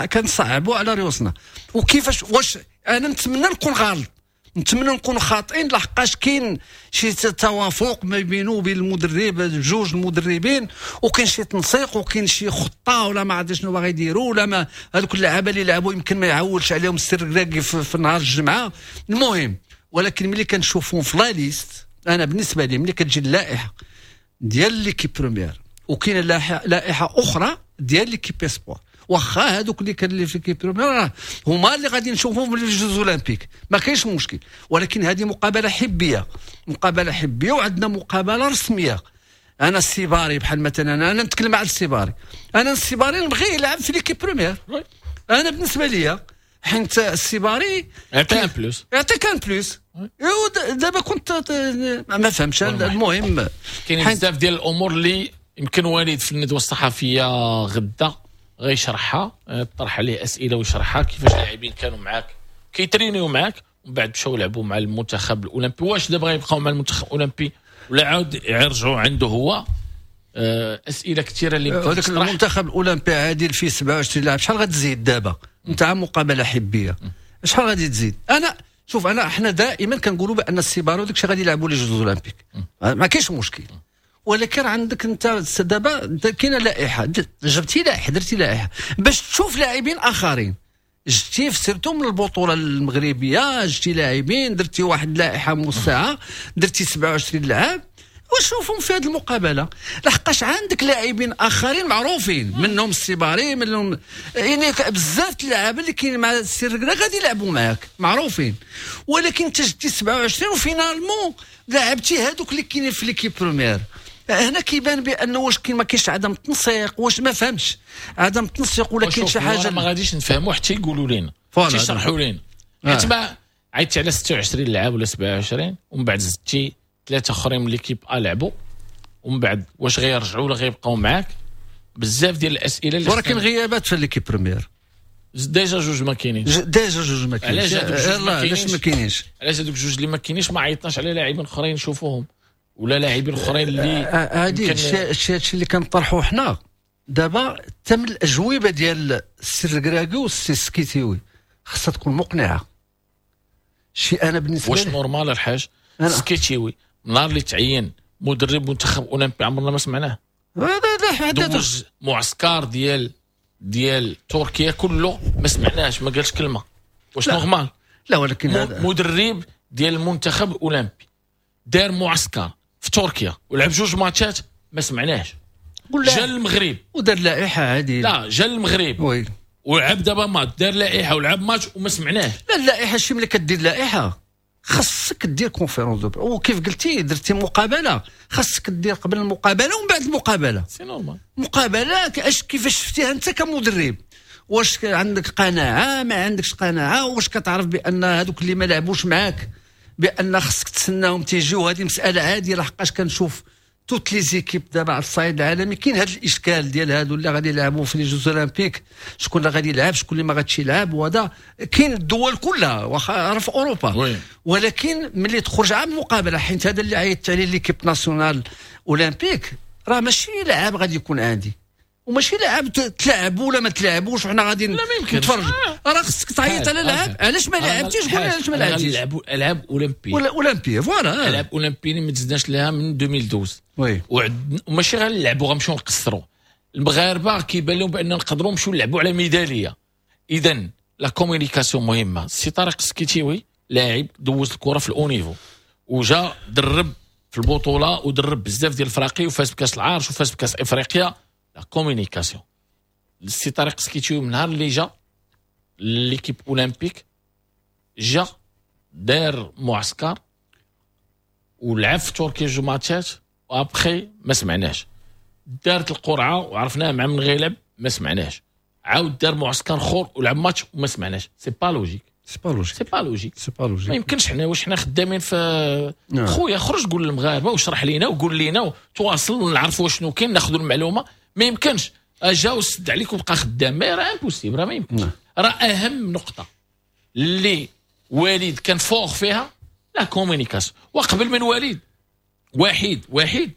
كنصعبوا على ريوسنا. وكيفاش واش انا نتمنى نكون غلط، نتمنى نكونوا خاطئين، لحقاش كاين شي توافق ما بينه وبين المدرب، جوج المدربين، وكاين شي تنسيق وكاين شي خطه ولا ما عرفت شنو باغي يديروا، ولا ما هذوك اللعابه اللي لعبوا يمكن ما يعولش عليهم السر في نهار الجمعة. المهم ولكن ملي كنشوفهم في la liste، انا بالنسبة لي ملي كتجي اللائحة ديال l'équipe première وكاين لائحة اخرى ديال l'équipe espoir، واخا هذوك اللي كان اللي في l'équipe première هما اللي غادي نشوفوهم في les Jeux olympiques، ما كاينش مشكل. ولكن هذه مقابله حبيه، مقابله حبيه، وعندنا مقابله رسمية. انا السيباري بحال مثلا، انا نتكلم على السيباري، انا السيباري نبغيه يلعب في l'équipe première. انا بالنسبة لي حيت السيباري يعطيك un plus، يعطيك un plus. دابا كنت ما فهمتش. المهم كاين بزاف ديال الامور اللي يمكن وليد في الندوة الصحفية غدا غيشرحها، طرح عليه اسئلة ويشرحها كيفاش اللاعبين كانوا معاك كيترينيو معاك ومن بعد مشاو لعبوا مع المنتخب الاولمبي، واش دابا غيبقاو مع المنتخب الاولمبي ولا عاود يرجعوا عنده هو؟ اسئلة كثيرة اللي هذاك المنتخب الاولمبي عادل فيه 27 لاعب، شحال غتزيد دابا نتاع مقابله حبيه؟ شحال غادي تزيد؟ انا شوف، انا احنا دائما كنقولوا بان السيبارو داكشي غادي يلعبوا les Jeux olympiques، ما كاينش مشكل. ولكن عندك انت دابا كاينه لائحه، جبتي لائحه، درتي لائحة باش تشوف لاعبين اخرين، جبتي surtout من البطولة المغربيه، جبتي لاعبين، درتي واحد لائحة موسعه، درتي 27 لاعب وشوفهم في هذه المقابله، لحقاش عندك لاعبين اخرين معروفين منهم السيباري، منهم يعني بزاف اللعابه اللي كاين مع السير غادي يلعبوا معاك معروفين. ولكن انت جبتي 27 و finalement لعبتي هذوك اللي كاينين في l'équipe première. هنا كيبان بانه واش كاين ما كاينش عدم التنسيق، واش ما فهمش عدم التنسيق ولا كاين شي حاجة ما غاديش نفهموا حتى يقولوا لنا، حتى يشرحوا لنا. حيت ما عيطتي على 26 لاعب ولا 27 ومن بعد زدتي ثلاثة اخرين من l'équipe A لعبوا، ومن بعد واش غيرجعوا ولا غيبقاو معاك؟ بزاف ديال الاسئلة اللي ولكن غيابات في l'équipe première déjà جوج ما كاينينش، déjà جوج ما كاينينش. علاش ما كاينينش؟ علاش هذوك جوج اللي ما كاينينش ما عيطناش على لاعبين اخرين نشوفوهم ولا لاعبين اخرين اللي هادي الشيء اللي كنطرحوه حنا دابا. تم الاجوبة ديال السي الركراكي والسي السكيتيوي خاصها تكون مقنعة. شي انا بالنسبة واش normal الحاج السكيتيوي نهار اللي تعين مدرب منتخب اولمبي عمرنا ما سمعناه، دوز معسكر ديال تركيا كله ما سمعناش، ما قالش كلمة. واش normal؟ لا ولكن هذا مدرب ديال المنتخب الاولمبي دار معسكر في تركيا ولعب جوج ماتشات ما سمعناش. جا المغرب ودار لائحة عادي، لا جا المغرب oui ولعب دابا ماتش، دار لائحة ولعب ماتش وما سمعناش. لا اللائحة شي ملي كدير لائحة خاصك دير conférence de presse، وكيف قلتي درتي مقابله خاصك دير قبل المقابلة ومن بعد المقابلة. c'est normal. مقابله اش كيفاش شفتيها انت كمدرب؟ واش عندك قناعة ما عندكش قناعة؟ واش كتعرف بان هذوك اللي ما لعبوش معاك بان خاصك تسناهم تيجيو؟ هذه مسالة عادية لحقاش كنشوف toutes les équipes دابا على الصعيد العالمي كاين هذا الاشكال ديال هادو اللي غادي يلعبوا في les Jeux olympiques، شكون اللي غادي يلعب، شكون اللي ما غاديش يلعب، وهذا كاين الدول كلها واخا راه في اوروبا. oui. ولكن ملي تخرج عام مقابله، حيت هذا اللي عيطت عليه l'équipe nationale olympique راه ماشي لاعب غادي يكون عندي، وماشي لاعب تلعب ولا ما تلعبوش وحنا غادي نتفرج. راه خصك تعيط على لاعب، علاش ما لعبتيش؟ قول علاش ما لعبتيش. نلعبوا العاب اولمبيه ولا اولمبيه، voilà العاب اولمبيه ما تزدناش لها من 2012. oui، وماشي غير نلعبوا، غنمشيو نقصروا. المغاربة كيبان لهم بان نقدروا نمشيو نلعبوا على ميدالية. اذا la communication مهمة. سي طارق السكيتيوي لاعب دوز الكره في ال haut niveau، وجا درب في البطولة ودرب بزاف ديال الفراقي وفاز بكاس العرش وفاز بكاس افريقيا. la communication، السي طارق السكيتيوي من نهار اللي جا l'équipe olympique جا دار معسكر ولعب في تركيا جوج ماتشات، و après ما سمعناش. دارت القرعة وعرفناه مع من غيلعب، ما سمعناش. عاود دار معسكر اخر ولعب ماتش وما سمعناش. c'est pas logique. c'est pas logique. c'est pas logique. c'est pas logique. ما يمكنش. حنا واش حنا خدامين في خويا؟ خرج قول للمغاربة واشرح لينا وقول لينا وتواصل ونعرفوا شنو كاين، ناخذوا المعلومه. ما يمكنش جا وسد عليك وبقى خدام، راه impossible، راه ما يمكنش. راه اهم نقطة اللي وليد كان fort فيها la communication. وقبل من وليد واحد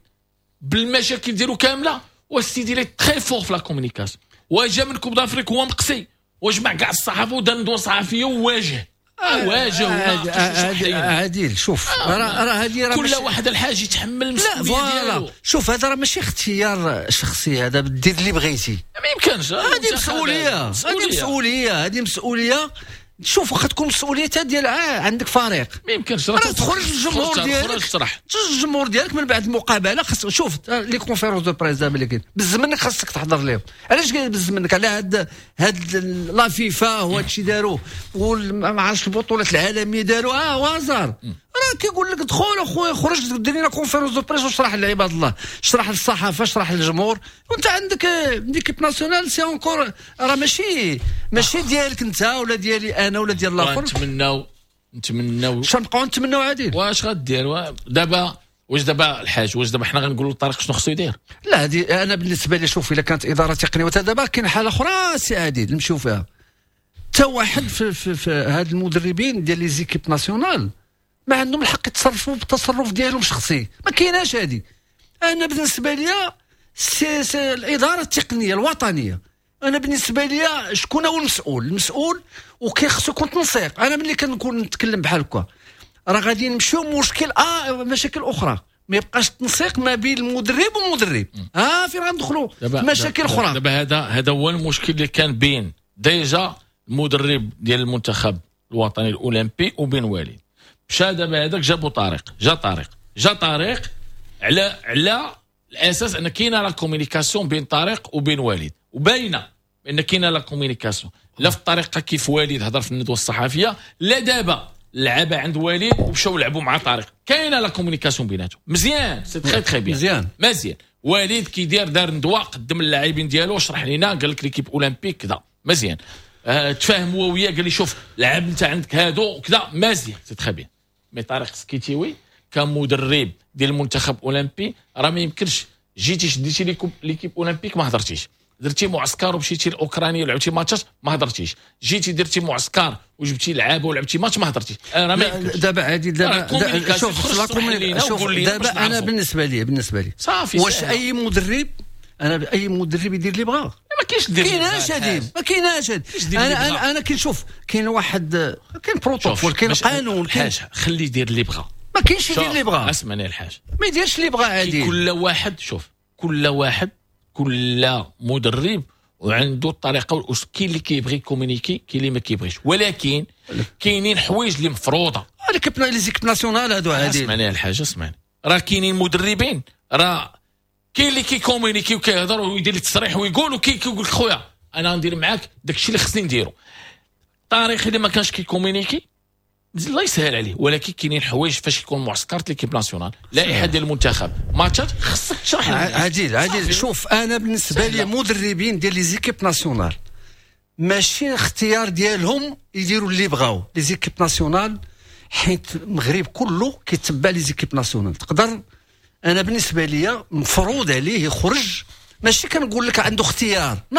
بالمشاكل ديالو كاملة، والسيدي il est très fort في la communication. وجا من Coupe d'Afrique هو مقصي وجمع كاع الصحافة ودار ندوه صحفية وواجه واجه. عادل، شوف راه هذه راه كل واحد الحاج يتحمل المسؤولية ديالو. شوف هذا راه ماشي اختيار شخصي، هذا دير اللي بغيتي. ما يمكنش، هذه مسؤولية، هذه مسؤولية، هذه مسؤولية. شوف واخا تكون مسؤولية ديال عندك فريق، ما يمكنش راه تخرج الجمهور ديالك، تشرح الجمهور ديالك من بعد المقابلة. خاص شوف les conférences de presse دابا اللي كاين بز منك خاصك تحضر لهم. علاش بز منك؟ على هاد la FIFA وهاد الشيء داروا، وما عرفتش البطولات العالمية داروا وازار. راه كيقول لك دخل اخويا، خرج دير لنا conférence de presse واشرح لعباد الله، اشرح للصحافه، اشرح للجمهور. وانت عندك l'équipe nationale، c'est encore راه ماشي ديالك انت ولا ديالي انا ولا ديال الاخر. نتمناو شنو نبقاو نتمناو عادل؟ واش غدير دابا؟ واش دابا الحاج، واش دابا حنا غنقولوا لطارق شنو خصو يدير؟ لا، هذه انا بالنسبة لي شوف الا كانت ادارة تقنية، دابا كاين حاله اخرى سي عادل نمشيو فيها. حتى واحد في هاد المدربين ديال les équipes nationales ما عندهم الحق يتصرفوا بالتصرف ديالهم شخصي، ما كايناش هذه. انا بالنسبة لي c'est الادارة التقنية الوطنية. انا بالنسبة لي شكون هو المسؤول؟ المسؤول وكيخصو يكون تنسيق. انا ملي كنكون نتكلم بحال هكا راه غادي نمشيو مشكل مشاكل اخرى، ما يبقاش التنسيق ما بين المدرب والمدرب. فين غندخلوا مشاكل اخرى. دابا هذا هو المشكل اللي كان بين déjà المدرب ديال المنتخب الوطني الاولمبي وبين وليد. مشى دابا هذاك جابو طارق، جا طارق على الاساس ان كاينه la communication بين طارق وبين وليد، وباينه بان كاينه la communication لا في الطريقة كيف وليد هضر في الندوة الصحفية، لا دابا لعبه عند وليد ومشاو لعبوا مع طارق، كاينه la communication بيناتهم مزيان، c'est très très bien مزيان. وليد كيدير دار ندوه قدم اللاعبين ديالو، شرح لينا، قال لك l'équipe olympique كذا مزيان، تفاهم هو وياه، قال لي شوف لعب انت عندك هادو وكذا مزيان، c'est très bien. mais طارق سكيتيوي كمدرب ديال المنتخب اولمبي راه ما يمكنش جيتي شديتي l'équipe olympique ما هضرتيش، درتي معسكر ومشيتي لاوكرانيا ولعبتي ماتشات ما هضرتيش، جيتي درتي معسكر وجبتي لعابه ولعبتي ماتش ما هضرتيش. راه ما يمكنش. دابا عادي، دابا شوف دابا انا بالنسبة لي صافي، واش اي مدرب، انا اي مدرب يدير اللي بغا؟ ما كاينش دير، كايناش هادي، ما كايناش هادي. انا كنشوف كاين واحد، كاين بروتوكول، كاين قانون، كاين خليه يدير اللي بغا. ما كاينش يدير اللي بغا. اسمعني الحاج، ما يديرش اللي بغا عادي. كل واحد شوف، كل واحد، كل مدرب وعنده الطريقة والاسلوب. كاين اللي كيبغي communiquer، كاين اللي ما كيبغيش، ولكن كاينين حوايج اللي مفروضة. l'équipe les équipes nationales هادو عادي. اسمعني الحاج، اسمعني، راه كاينين مدربين، راه كاين اللي كي communiquer وكيهضر ويدير التصريح ويقول وكيقول لك خويا انا غندير معاك داكشي اللي خصني نديرو. طارق اللي ما كانش كي communiquer الله يسهل عليه، ولكن كاينين حوايج فاش يكون معسكر l'équipe nationale، لائحة ديال المنتخب، ماتشات، خصك تشرح. عادل شوف، انا بالنسبة لي مدربين ديال les équipes nationales ماشي اختيار ديالهم يديروا اللي بغاو. les équipes nationales حيت المغرب كله كيتبع les équipes nationales، تقدر انا بالنسبة لي مفروض عليه يخرج، ماشي كنقول لك عنده اختيار، non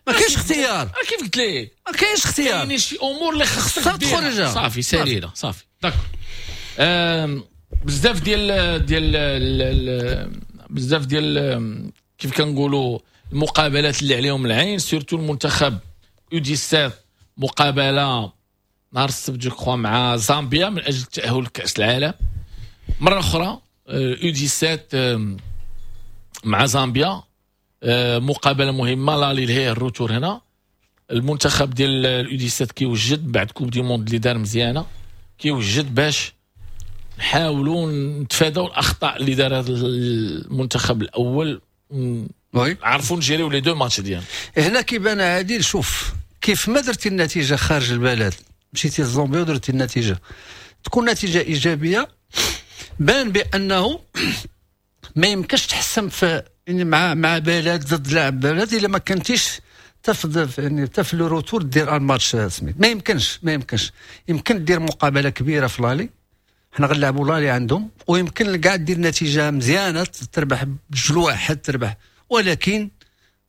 ما كاينش اختيار. كيف قلت لك ما كاينش اختيار، كاين شي امور اللي خصك تخرج. صافي سالينا صافي d'accord. بزاف ديال ديال بزاف ديال كيف كنقولوا المقابلات اللي عليهم العين، surtout المنتخب U17 مقابله نهار السبت je crois مع زامبيا من اجل التاهل لكاس العالم مرة اخرى. U17 مع زامبيا مقابله مهمة، l'aller لهيه ال retour هنا. المنتخب ديال ال U17 كيوجد بعد coupe du monde اللي دار مزيانه، كيوجد باش نحاولوا نتفاداو الاخطاء اللي دار هذا المنتخب الاول، عرفوا نجيريو les deux matchs ديالنا. هنا كيبان عادل، شوف كيف ما درتي النتيجة خارج البلد، مشيتي لزامبيا ودرتي النتيجة تكون نتيجة ايجابية، بان بانه ما يمكنش تحسم في يعني مع بلد ضد لاعب بلد الا ما كنتيش تفضل يعني في le retour دير الماتش سميت، ما يمكنش ما يمكنش. يمكن دير مقابله كبيرة في l'aller، حنا غنلعبوا l'aller عندهم، ويمكن كاع دير نتيجة مزيانه تربح بجوج واحد تربح، ولكن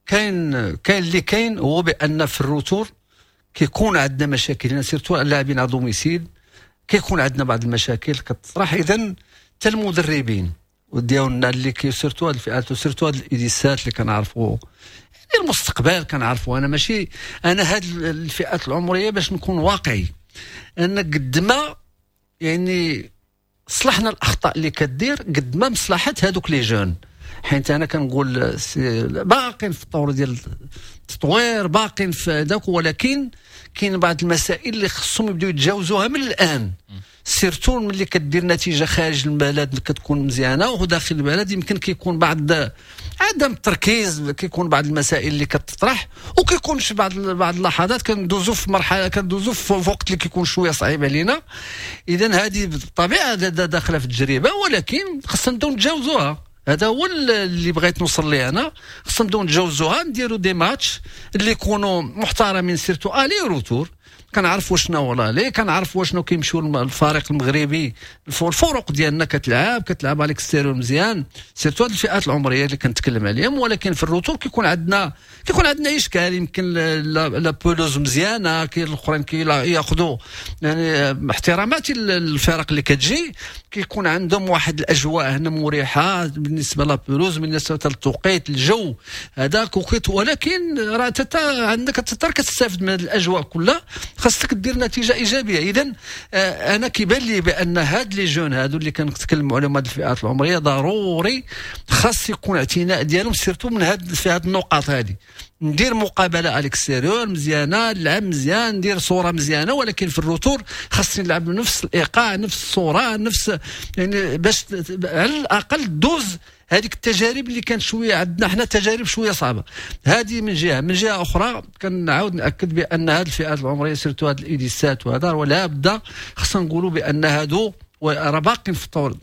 كاين اللي كاين هو بان في ال retour كيكون عندنا مشاكل، surtout اللاعبين à domicile كيكون عندنا بعض المشاكل كتطرح. اذا حتى المدربين ديالنا اللي كي surtout هاد الفئات و surtout هاد ال U17 اللي كنعرفوا يعني المستقبل كنعرفوا. انا ماشي انا هاد الفئات العمرية باش نكون واقعي، ان قد ما يعني صلحنا الاخطاء اللي كدير قد ما مصلحة هادوك les jeunes، حيت انا كنقول باقين في الطور ديال التطوير، باقين في داك، ولكن كاين بعض المسائل اللي خصهم يبداو يتجاوزوها من الان، surtout ملي كدير نتيجة خارج البلد كتكون مزيانه، وداخل البلد يمكن كيكون بعض عدم التركيز، كيكون بعض المسائل اللي كتطرح، وكيكون في بعض اللحظات كندوزو في مرحلة، كندوزو في وقت اللي كيكون شوية صعيب علينا. اذا هذه بالطبيعة داخله في التجربة، ولكن خصنا نبداو نتجاوزوها. هذا هو اللي بغيت نوصل ليه انا، خصنا نبداو نتجاوزوها، نديرو des matchs اللي يكونوا محترمين surtout aller retour. كنعرفوا شنو هو l'aller، كنعرفوا شنو كيمشيو الفريق المغربي، الفرق ديالنا كتلعب على l'extérieur مزيان، surtout هاد الفئات العمرية اللي كنتكلم عليهم. ولكن في ال retour كيكون عندنا اشكال، يمكن la pelouse مزيانه، كاين الاخرين كياخذوا يعني احتراماتي للفرق اللي كتجي، كيكون عندهم واحد الاجواء هنا مريحه بالنسبة la pelouse، بالنسبة للتوقيت، الجو هذاك وقيت، ولكن راه عندك كتستافد من هذه الاجواء كلها، خاصك دير نتيجة ايجابية. اذا انا كيبان لي بان هاد les jeunes هادو اللي كنتكلموا عليهم، هاد الفئات العمرية، ضروري خاص يكون اعتناء ديالهم surtout من هاد في هاد النقاط هادي. ندير مقابله à l'extérieur مزيانه، نلعب مزيان، ندير صوره مزيانه، ولكن في ال retour خاصني نلعب بنفس الايقاع، نفس الصورة، نفس يعني باش على الاقل دوز هذيك التجارب اللي كانت شوية عندنا حنا، تجارب شوية صعبة. هذه من جهة، من جهة اخرى كنعاود ناكد بان هذه الفئات العمرية surtout هاد ال U17 وهذا، ولا بد خصنا نقولوا بان هادو راه باقين في الطور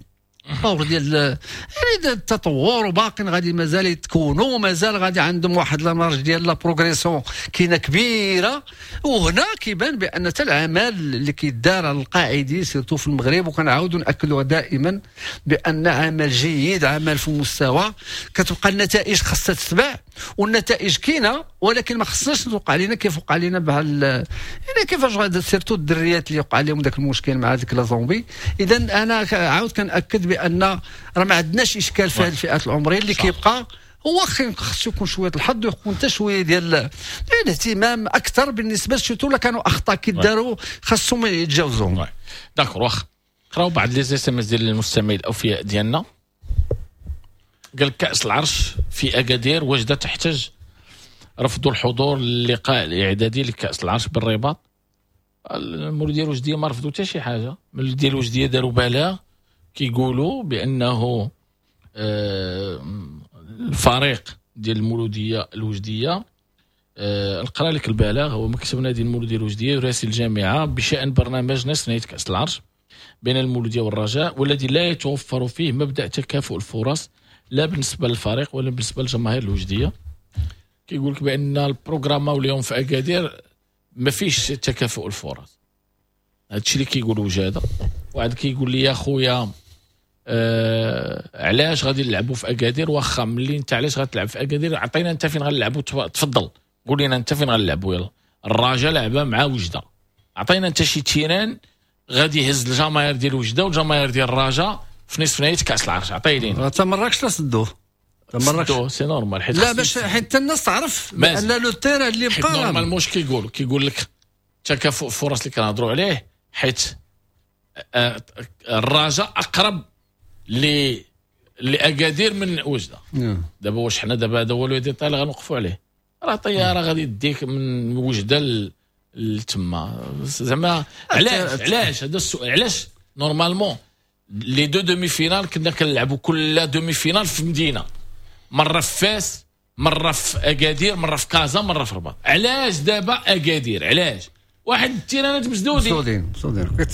ديال يعني التطور، وباقين غادي مازال يتكونوا، مازال غادي عندهم واحد la marge ديال la progression كاينه كبيرة. وهنا كيبان بان حتى العمل اللي كيدار على القاعدي surtout في المغرب، وكنعاودوا ناكدوها دائما بان عمل جيد، عمل في مستوى، كتبقى النتائج خاصها تتبع، والنتائج كاينه، ولكن ما خصناش توقع علينا كيف وقع علينا بحال يعني كيفاش غادي surtout الدريات اللي وقع عليهم ذاك المشكل مع هذيك la Zambie. اذا انا عاود كناكد بان راه ما عندناش اشكال في هذه الفئات العمرية، اللي كيبقى هو خصو يكون شوية الحظ، ويكون حتى شوية ديال الاهتمام اكثر بالنسبة surtout لا كانوا اخطاء كيداروا خاصهم يتجاوزوهم. d'accord، واخا قراو بعض les SMS ديال المستمعين الاوفياء ديالنا. قال كأس العرش في اكادير وجده تحتج، رفضوا الحضور للقاء الاعدادي لكأس العرش بالرباط. المولوديه الوجديه ما رفضوا حتى شي حاجة، المولوديه الوجديه داروا بلاغ كيقولوا بانه الفريق ديال المولوديه الوجديه، نقرا لك البلاغ، هو مكتب نادي المولوديه الوجديه يراسل الجامعة بشان برنامج نصف نهائي كاس العرش بين المولوديه والرجاء، والذي لا يتوفر فيه مبدا تكافؤ الفرص لا بالنسبة للفريق ولا بالنسبة للجماهير الوجديه. كيقول لك بان ال programme اليوم في اكادير ما فيش تكافؤ الفرص، هادشي اللي كيقولوا وجاده. واحد كيقول لي يا خويا علاش غادي نلعبوا في اكادير؟ واخا ملي انت علاش غتلعب في اكادير، عطينا انت فين غنلعبوا، تفضل قول لنا انت فين غنلعبوا. يلا الرجاء لعبه مع وجده، عطينا انت شي terrain غادي يهز الجماهير ديال وجده والجماهير ديال الرجاء في نصف نهائي كاس العرش، عطية لينا. حتى مراكش لا سدوه، مراكش c'est normal، حيت لا باش حيت الناس تعرف بان le terrain اللي بقى normalement كيقول لك تكافؤ فرص اللي كنهضروا عليه، حيت الرجاء اقرب لاكادير من وجده. دابا واش حنا دابا هذا هو le détail اللي غنوقفوا عليه؟ راه طيارة غادي تديك من وجده لتما، زعما علاش هذا السؤال؟ علاش normalement les deux demi-finales كنا كنلعبوا كل demi-finale في مدينة، مرة في فاس، مرة في اكادير، مرة في كازا، مرة في الرباط. علاش دابا اكادير؟ علاش؟ واحد التيرانات مسدودين،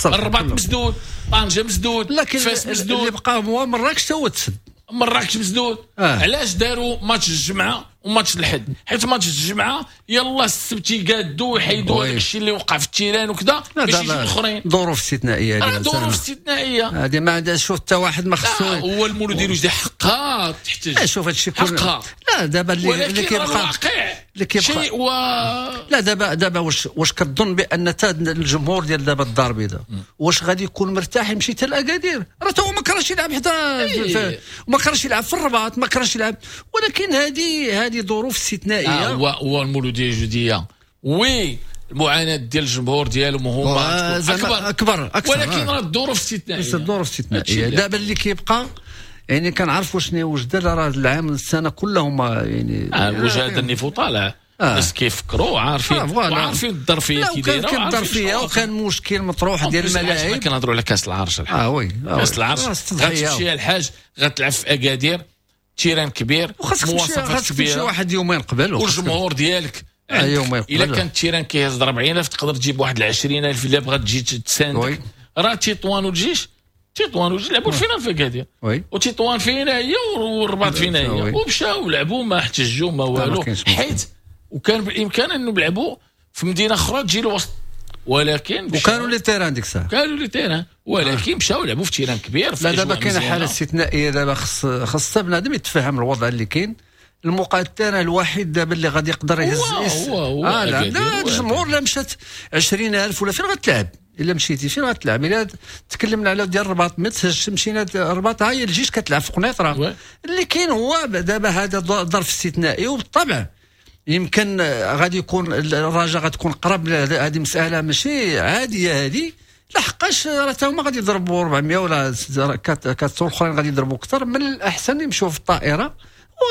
الرباط مسدود، طنجه مسدود، فاس مسدود، اللي بقى هو مراكش تا هو تسد، مراكش مسدود. علاش داروا ماتش الجمعة وماتش الحد؟ حيت ماتش الجمعة يلا السبت يقادوا ويحيدوا هذاك الشيء اللي وقع في ال terrain وكذا باش يجيو الاخرين. ظروف استثنائية، ظروف استثنائية هذه ما عندها شوف حتى واحد ما خصو. هو المولودي وجدي حقها تحتاج. شوف هذا الشيء كله. لا دابا اللي كيبقى اللي كيبقى شيء لا دابا واش كتظن بان حتى الجمهور ديال دابا الدار البيضاء واش غادي يكون مرتاح يمشي حتى لاكادير؟ راه تا هو ما كرهش يلعب حتى وما كرهش يلعب في الرباط، ما كرهش يلعب، ولكن هذه ظروف استثنائية. هو المولوديه الجديدة oui المعاناة ديال الجمهور ديالهم هما اكبر ولكن راه الظروف استثنائية، الظروف استثنائية. دابا اللي كيبقى يعني كنعرفوا شنو وجده، راه العام السنة كلهم يعني وجد ال niveau طالع، الناس كيفكروا عارفين وعارفين الظرفية كي دايرة، كان الظرفية وكان مشكل مطروح ديال الملاعب. كنهضروا على كاس العرش الحاج. oui كاس العرش غتمشي الحاج غتلعب في اكادير، terrain كبير، مواصفات كبيرة، واحد يومين قبل، والجمهور ديالك الا كان ال terrain كيهز 40000 تقدر تجيب واحد 20000 الا بغات تجي تساندك. راه تطوان والجيش، تطوان والجيش لعبوا ال finale في اكادير، وتطوان فينا هي والرباط فينا هي، ومشاو لعبوا ما احتجوا ما والو، حيت وكان بالامكان انه يلعبوا في مدينة اخرى تجي الوسط، ولكن وكانوا les terrains ديك الساعة، كانوا les terrains، ولكن مشاو لعبوا في terrain كبير. لا دابا كاينه حاله استثنائية، دابا خص بنادم يتفهم الوضع اللي كاين. الموقع ال terrain الوحيد دابا اللي غادي يقدر يهز هو لا الجمهور لا مشات 20000 ولا فين غتلعب؟ الا مشيتي فين غتلعب؟ الا تكلمنا على ديال الرباط ما تهزش، مشينا الرباط هاي الجيش كتلعب في قنيطره. اللي كاين هو دابا هذا ظرف استثنائي، وبالطبع يمكن غادي يكون الرجاء غتكون قرب. هذه مسالة ماشي عادية هذه، لحقاش راه تا هما غادي يضربوا 400 ولا 400 الاخرين غادي يضربوا اكثر. من الاحسن يمشوا في الطائرة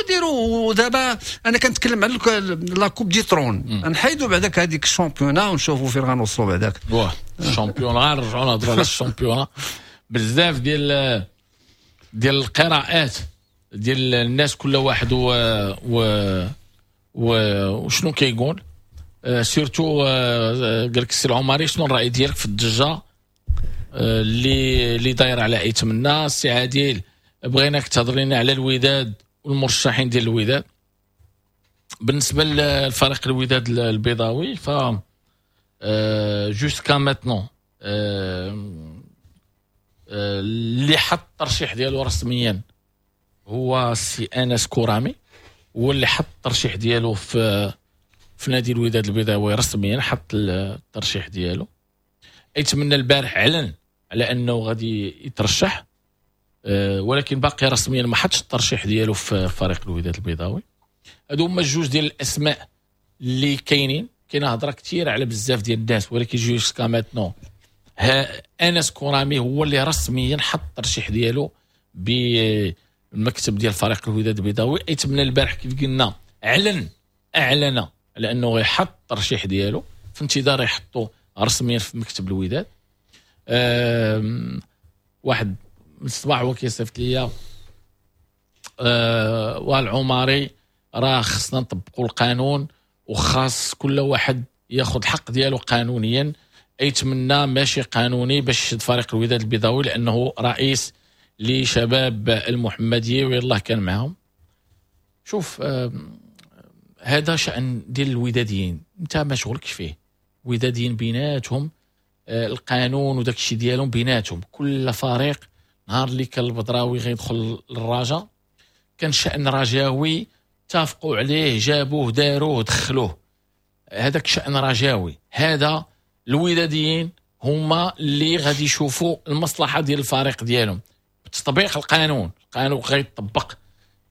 وديروا. ودابا انا كنتكلم على la coupe du trône، نحيدوا بعداك هذيك ال championnat ونشوفوا فين غنوصلوا بعداك. واه ال championnat، نرجعوا نهضروا على ال championnat. بزاف ديال القراءات ديال الناس، كل واحد وشنو كيقول. surtout قال لك السي العمري شنو الراي ديالك في الضجة اللي دايرة على ايتمنا؟ السي عادل بغيناك تهضر لنا على الوداد والمرشحين ديال الوداد. بالنسبة للفريق الوداد البيضاوي ف jusqu'à maintenant اللي حط الترشيح ديالو رسميا هو السي انس كورامي، هو اللي حط الترشيح ديالو في نادي الوداد البيضاوي رسميا، حط الترشيح ديالو. يتمنى البارح اعلن على انه غادي يترشح، ولكن باقي رسميا ما حطش الترشيح ديالو في فريق الوداد البيضاوي. هادو هما الجوج ديال الاسماء اللي كاينين. كاينه هضره كثيرة على بزاف ديال الناس، ولكن jusqu'à maintenant انس كورامي هو اللي رسميا حط الترشيح ديالو بالمكتب ديال فريق الوداد البيضاوي. يتمنى البارح كيف قلنا اعلن على انه غيحط الترشيح ديالو، في انتظار يحطو رسميا في مكتب الوداد. واحد من الصباح هو كيصيفط ليا والعمري راه خصنا نطبقوا القانون وخاص كل واحد ياخذ الحق ديالو قانونيا. يتمنى ماشي قانوني باش يشد فريق الوداد البيضاوي لانه رئيس لشباب المحمدية ويلاه كان معهم. شوف هذا شأن ديال الوداديين، انت ما شغلكش فيه. وداديين بيناتهم القانون وداك الشيء ديالهم بيناتهم، كل فريق نهار اللي كان البدراوي غيدخل للرجاء كان شأن رجاوي، اتفقوا عليه، جابوه، داروه، دخلوه، هذاك شأن رجاوي. هذا الوداديين هما اللي غادي يشوفوا المصلحة ديال الفريق ديالهم بتطبيق القانون. القانون غيطبق.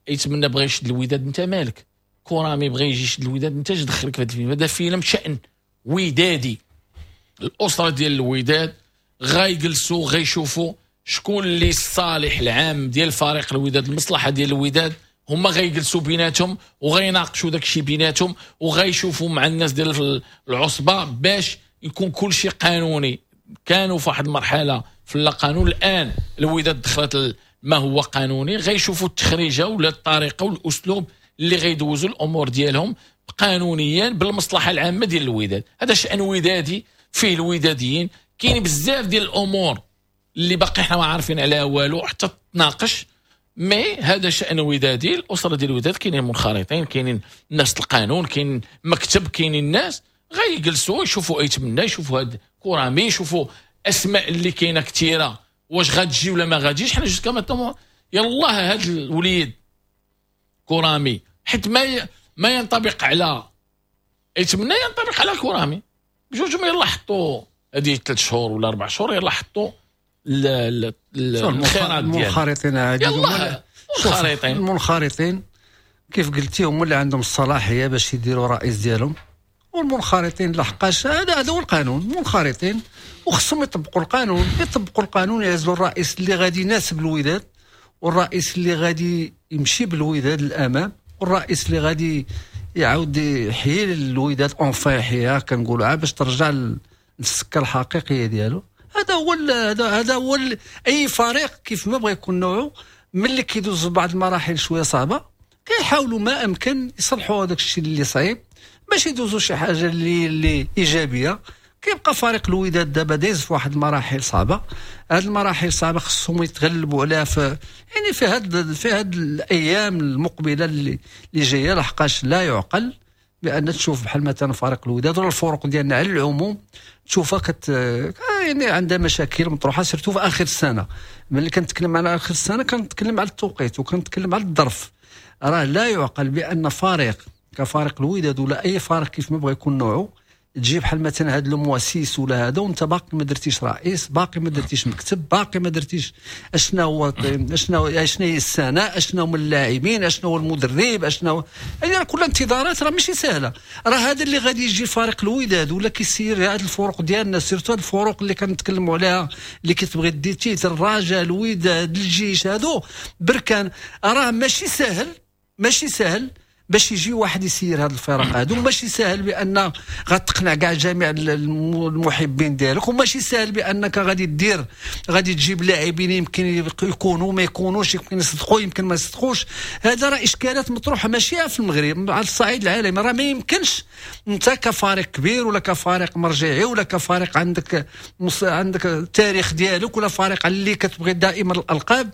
يتمنى بغى يشد الوداد، انت مالك؟ كرامي بغى يجي يشد الوداد، انت اش دخلك في هذا الفيلم؟ هذا فيلم شأن ودادي. الاسرة ديال الوداد غايجلسوا غيشوفوا شكون اللي الصالح العام ديال فريق الوداد، المصلحة ديال الوداد، هما غيجلسوا بيناتهم وغيناقشوا داك الشيء بيناتهم وغيشوفوا مع الناس ديال العصبة باش يكون كل شيء قانوني. كانوا في واحد المرحلة في اللا قانون، الان الوداد دخلت ما هو قانوني، غيشوفوا التخريجه ولا الطريقة والاسلوب اللي غيدوزوا الامور ديالهم قانونيا بالمصلحة العامة ديال الوداد. هذا شان ودادي فيه الوداديين. كاين بزاف ديال الامور اللي باقي حنا ما عارفين عليها والو حتى تناقش، mais هذا شان ودادي. الاسرة ديال الوداد كاينين منخرطين، كاينين ناس القانون، كاين مكتب، كاينين الناس غيجلسوا يشوفوا ايتمنى، يشوفوا هاد كرامي، يشوفوا اسماء اللي كاينه كثيرة واش غتجي ولا ما غاتجيش. حنا jusqu'à maintenant يلاه هاد الوليد كرامي، حيت ما ينطبق على ايتمنى ينطبق على كرامي، بجوج ما يلا حطوا هذه 3 شهور ولا 4 شهور يلا حطوا الخيرات ديالهم. المنخرطين عادي، يلا المنخرطين، المنخرطين كيف قلتي هما اللي عندهم الصلاحية باش يديروا رئيس ديالهم، والمنخرطين لحقاش هذا هو القانون، المنخرطين وخصهم يطبقوا القانون، يطبقوا القانون، يعزلوا الرئيس اللي غادي يناسب الوداد، والرئيس اللي غادي يمشي بالوداد للامام، والرئيس اللي غادي يعاود يحيي الوداد enfin يحييها كنقولوا باش ترجع للسكه الحقيقية ديالو. هذا هو هذا هو اي فريق كيف ما بغى يكون نوعه، ملي كيدوز بعض المراحل شوية صعبة كيحاولوا ما امكن يصلحوا هذاك الشيء اللي صعيب باش يدوزوا شي حاجة اللي ايجابية. كيبقى فريق الوداد دابا دايز في واحد المراحل صعبة، هاد المراحل الصعبة خصهم يتغلبوا عليها في يعني في هاد الايام المقبلة اللي جاية، لحقاش لا يعقل بان تشوف بحال مثلا فريق الوداد ولا الفرق ديالنا على العموم تشوفها يعني عندها مشاكل مطروحة surtout في اخر السنة. ملي كنتكلم على اخر السنة كنتكلم على التوقيت وكنتكلم على الظرف. راه لا يعقل بان فريق كفريق الوداد ولا اي فريق كيف ما بغى يكون نوعه تجي بحال مثلا هاد le mois 6 ولا هذا وانت باقي ما درتيش رئيس، باقي ما درتيش مكتب، باقي ما درتيش اشنا هو اشنا هي السنة، اشنا هما اللاعبين، اشنا هو المدرب، اشنا هو يعني كل انتظارات راه ماشي سهلة. راه هذا اللي غادي يجي فريق الوداد ولا كيسير هاد الفرق ديالنا، surtout هاد الفرق اللي كنتكلموا عليها اللي كتبغي دي titre، الرجاء، الوداد، الجيش، هادو بركان، راه ماشي سهل، ماشي سهل باش يجي واحد يسير هاد الفرق هادو، ماشي ساهل بان غتقنع كاع جميع المحبين ديالك، وماشي ساهل بانك غادي دير غادي تجيب لاعبين يمكن يكونوا ما يكونوش، يمكن يصدقوا يمكن ما يصدقوش. هذا راه اشكالات مطروحة ماشي في المغرب، على الصعيد العالمي. راه ما يمكنش انت كفريق كبير ولا كفريق مرجعي ولا كفريق عندك التاريخ ديالك ولا فريق اللي كتبغي دائما الالقاب،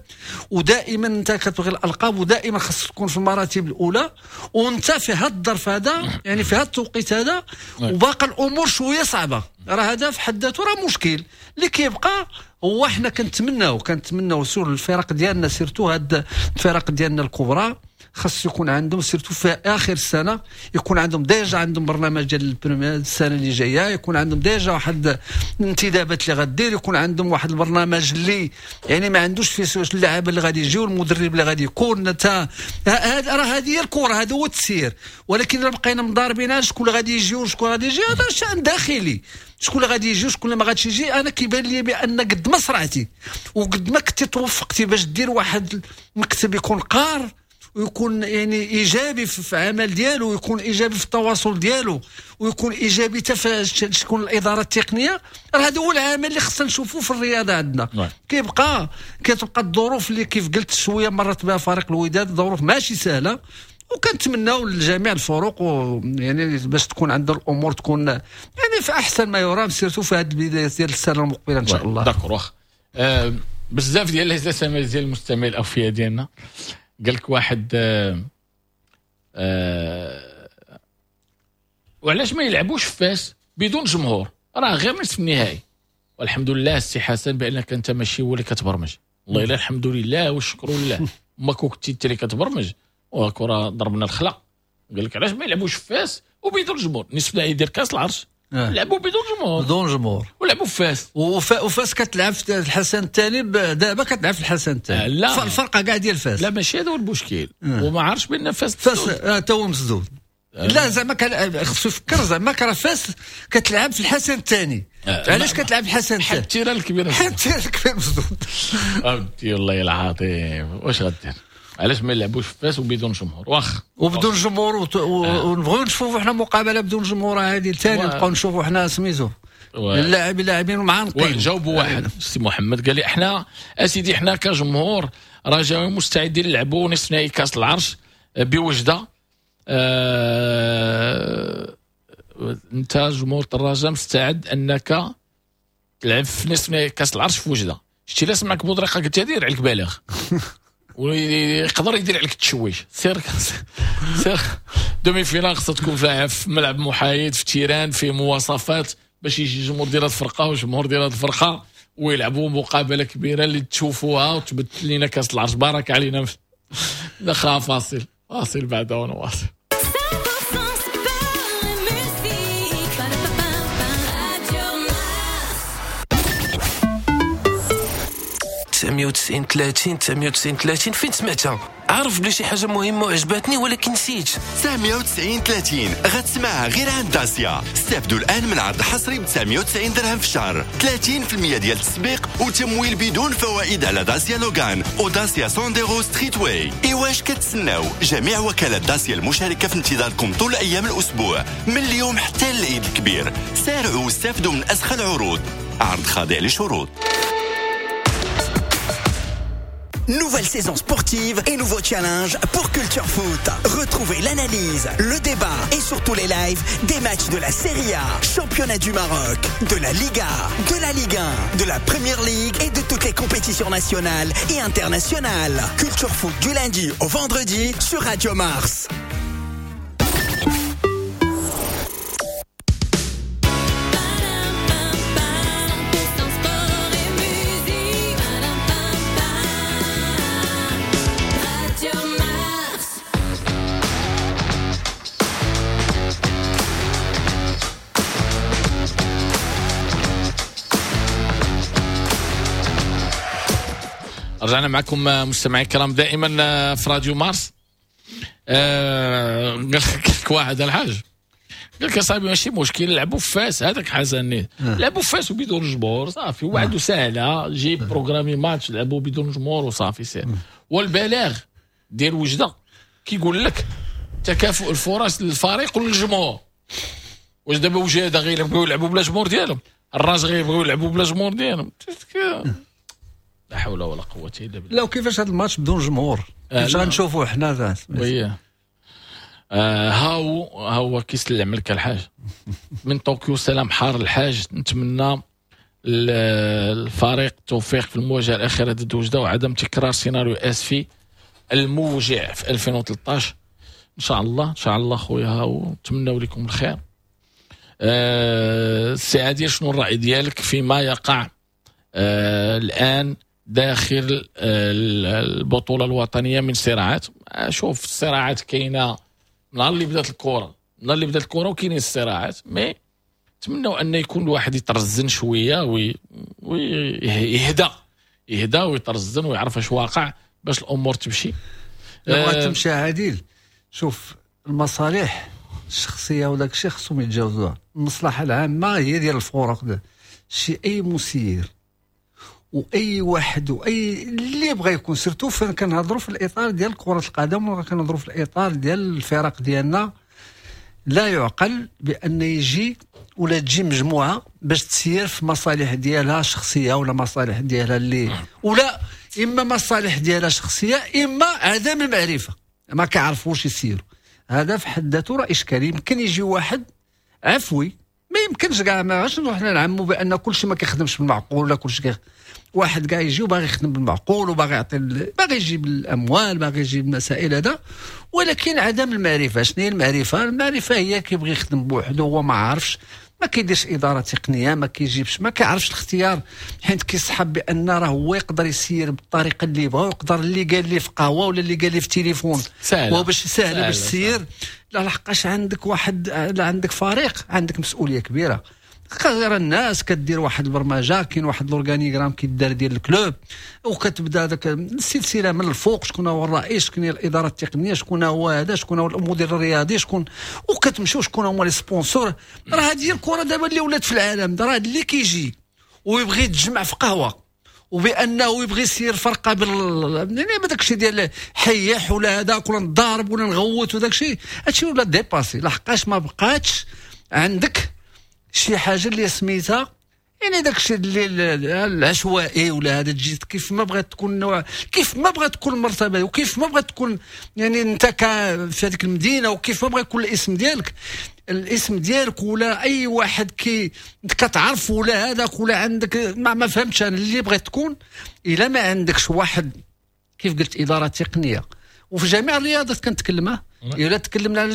ودائما انت كتبغي الالقاب ودائما خاصك تكون في المراتب الاولى، وانت في هذا الظرف هذا يعني في هذا التوقيت هذا وباقي الامور شوية صعبة. راه هذا في حد ذاته راه مشكل اللي كيبقى. هو حنا كنتمناو sur الفرق ديالنا، surtout هاد الفرق ديالنا الكبرى خاص يكون عندهم surtout في اخر السنة يكون عندهم déjà عندهم برنامج ديال السنة اللي جاية، يكون عندهم déjà واحد الانتدابات اللي غدير، يكون عندهم واحد البرنامج اللي يعني ما عندوش فيه اللاعب اللي غادي يجي والمدرب اللي غادي يكون. انت راه هذه هي الكره، هذا هو التسيير. ولكن الا بقينا مضاربين شكون اللي غادي يجي وشكون غادي يجي، هذا شان داخلي، شكون اللي غادي يجي وشكون اللي ما غاديش يجي. انا كيبان لي بان قد ما سرعتي وقد ما كنتي توفقتي باش دير واحد المكتب يكون قار ويكون يعني ايجابي في العمل ديالو، ويكون ايجابي في التواصل ديالو، ويكون ايجابي حتى في شكون الادارة التقنية، راه هذا هو العمل اللي خصنا نشوفوه في الرياضة عندنا. كتبقى الظروف اللي كيف قلت شوية مرت بها فريق الوداد، ظروف ماشي سهلة، وكنتمناو لجميع الفرق يعني باش تكون عندنا الامور تكون يعني في احسن ما يرام، surtout في هذه البداية ديال السنة المقبلة ان شاء الله. d'accord. واخا بزاف ديال les SMS ديال المستمعين الاوفياء ديالنا، قال لك واحد وعلاش ما يلعبوش في فاس بدون جمهور، راه غير نصف النهائي. والحمد لله السي حسن بانك انت ماشي هو اللي كتبرمج، والله الا الحمد لله والشكر لله. ما كنتي انت اللي كتبرمج وكره ضربنا الخلا. قال لك علاش ما يلعبوش في فاس وبدون جمهور؟ نصف نهائي ديال كاس العرش لعبوا بدون جمهور، بدون جمهور، ولعبوا في فاس. وفاس كتلعب في الحسن الثاني، دابا كتلعب في الحسن الثاني. لا الفرقة كاع ديال فاس. لا ماشي هذا هو المشكل. وما عارفش بان فاس تا هو مسدود. لا زعما خصو يفكر زعما راه فاس كتلعب في الحسن الثاني. علاش كتلعب في الحسن الثاني؟ حتى ال terrain الكبير، حتى ال terrain الكبير مسدود. اودي والله العظيم واش غدير؟ علاش ما يلعبوش في فاس وبدون جمهور؟ واخ وبدون جمهور، ونبغيو نشوفوا حنا مقابله بدون جمهور هذه الثاني، نبقاو نشوفوا حنا سميتو اللاعبين معانقين. جاوبوا واحد السي محمد قال لي احنا اسيدي احنا كجمهور رجاوي مستعدين نلعبوا نصف نهائي كاس العرش بوجده. انت جمهور الرجاء مستعد انك تلعب في نصف نهائي كاس العرش في وجده؟ شتي لا سمعك بودريقه قلت دير عليك بالغ ويقدر يدير عليك التشويش. سير سير demi-finale خصها تكون في ملعب محايد، في terrain، في مواصفات باش يجي الجمهور ديال هاد الفرقة والجمهور ديال هاد الفرقة ويلعبوا مقابله كبيرة اللي تشوفوها وتبث لنا كاس العرش. بارك علينا. دخل فاصل، فاصل بعد ونواصل. 990 30 990 30 فين سمعتها؟ عارف بلي شي حاجة مهمة وعجبتني ولكن نسيت. 990 30 غتسمعها غير عند داسيا. استافدوا الان من عرض حصري ب 990 درهم في الشهر، 30% ديال التسبيق وتمويل بدون فوائد على داسيا لوغان وداسيا سونديرو ستريت واي. ايواش كتسناو؟ جميع وكالات داسيا المشاركة في انتظاركم طول ايام الاسبوع من اليوم حتى العيد الكبير. سارعوا واستافدوا من اسخى العروض. عرض خاضع لشروط. Nouvelle saison sportive et nouveau challenge pour Culture Foot. Retrouvez l'analyse, le débat et surtout les lives des matchs de la Serie A, championnat du Maroc, de la Liga, de la Ligue 1, de la Premier League et de toutes les compétitions nationales et internationales. Culture Foot du lundi au vendredi sur Radio Mars. رجعنا معكم مستمعي الكرام دائما في راديو مارس. قال لك واحد الحاج، قال لك يا صاحبي ماشي مشكل لعبوا في فاس، هذاك حسن لعبوا في فاس وبدون جمهور صافي، وعد سهلة، جيب programmer match لعبوا بدون جمهور وصافي سهل. والبلاغ ديال وجده كيقول لك تكافؤ الفرص للفريق وللجمهور. واش دابا وجده غير يبغيو يلعبوا بلا جمهور ديالهم؟ الراج غير يبغيو يلعبوا بلا جمهور ديالهم؟ لا حول ولا قوة إلا بالله. لا وكيفاش هذا الماتش بدون جمهور؟ كيفاش غنشوفوه حنا؟ oui هاو كيسلم لك الحاج من طوكيو. سلام حار الحاج، نتمنى الفريق التوفيق في المواجهة الأخيرة ضد وجدة وعدم تكرار سيناريو آسفي الموجع في 2013. إن شاء الله إن شاء الله خويا هاو، نتمناو لكم الخير. السي عادل، شنو الرأي ديالك فيما يقع الآن داخل البطولة الوطنية من صراعات؟ شوف الصراعات كاينة من نهار اللي بدات الكرة، من نهار اللي بدات الكرة وكاينين الصراعات، mais نتمنوا أن يكون الواحد يترزن شوية ويهدى، يهدى ويترزن ويعرف اش واقع باش الأمور تمشي. لو تمشي عادل، شوف المصالح الشخصية وداك الشيء خصهم يتجاوزوها. المصلحة العامة هي ديال الفرق، شي أي مسير واي واحد واي اللي بغى يكون، surtout فين كنهضروا في الاطار ديال كره القدم ولا كنهضروا في الاطار ديال الفرق ديالنا، لا يعقل بان يجي ولا تجي مجموعة باش تسير في مصالح ديالها الشخصية ولا مصالح ديالها اللي ولا اما مصالح ديالها شخصية اما عدم المعرفة، ما كيعرفوش يسيروا. هذا في حد ذاته راه اشكالي. يمكن يجي واحد عفوي، ما يمكنش كاع، ما غاش نروح نعمو بان كلشي ما كيخدمش بالمعقول ولا كلشي واحد كاع يجي وباغي يخدم بالمعقول وباغي يعطي، باغي يجيب الاموال، باغي يجيب المسائل هذا، ولكن عدم المعرفة. شنو هي المعرفة؟ المعرفة هي كيبغي يخدم بوحده هو ما عارفش، ما كيديرش ادارة تقنيه، ما كيجيبش، ما كيعرفش الاختيار، حيت كيسحب بان راه هو يقدر يسير بالطريقة اللي بغا، ويقدر اللي قال لي في قهوة ولا اللي قال لي في التليفون سهلة باش سهلة باش تسير. لا، لحقاش عندك واحد، لا عندك فريق، عندك مسؤولية كبيرة. غير الناس كدير واحد البرمجه، كاين واحد l'organigramme كيدار ديال ال club، وكتبدا داك السلسلة من الفوق، شكون هو الرئيس، شكون هي الادارة التقنيه، شكون هو هذا، شكون هو المدير الرياضي، شكون، وكتمشيو شكون هما les sponsors. راه هذه هي الكره دابا اللي ولات في العالم، راه اللي كيجي ويبغي يتجمع في قهوة وبانه يبغي يسير فرقه يعني داك الشيء ديال حيح ولا هذاك ولا نضارب ولا نغوت وداك الشيء، هادشي ولا dépassé، لحقاش ما بقاتش عندك شي حاجة اللي سميتها يعني داك الشيء اللي العشوائي ولا هذا، تجي كيف ما بغات تكون نوع، كيف ما بغات تكون المرتبة، وكيف ما بغات تكون يعني انت في هذيك المدينه، وكيف ما بغى يكون الاسم ديالك، الاسم ديالك ولا اي واحد كي انت كتعرف ولا هذاك ولا عندك ما فهمتش انا اللي بغيت تكون، الا ما عندكش واحد كيف قلت ادارة تقنية. وفي جميع الرياضات كنتكلم، الا تكلمنا على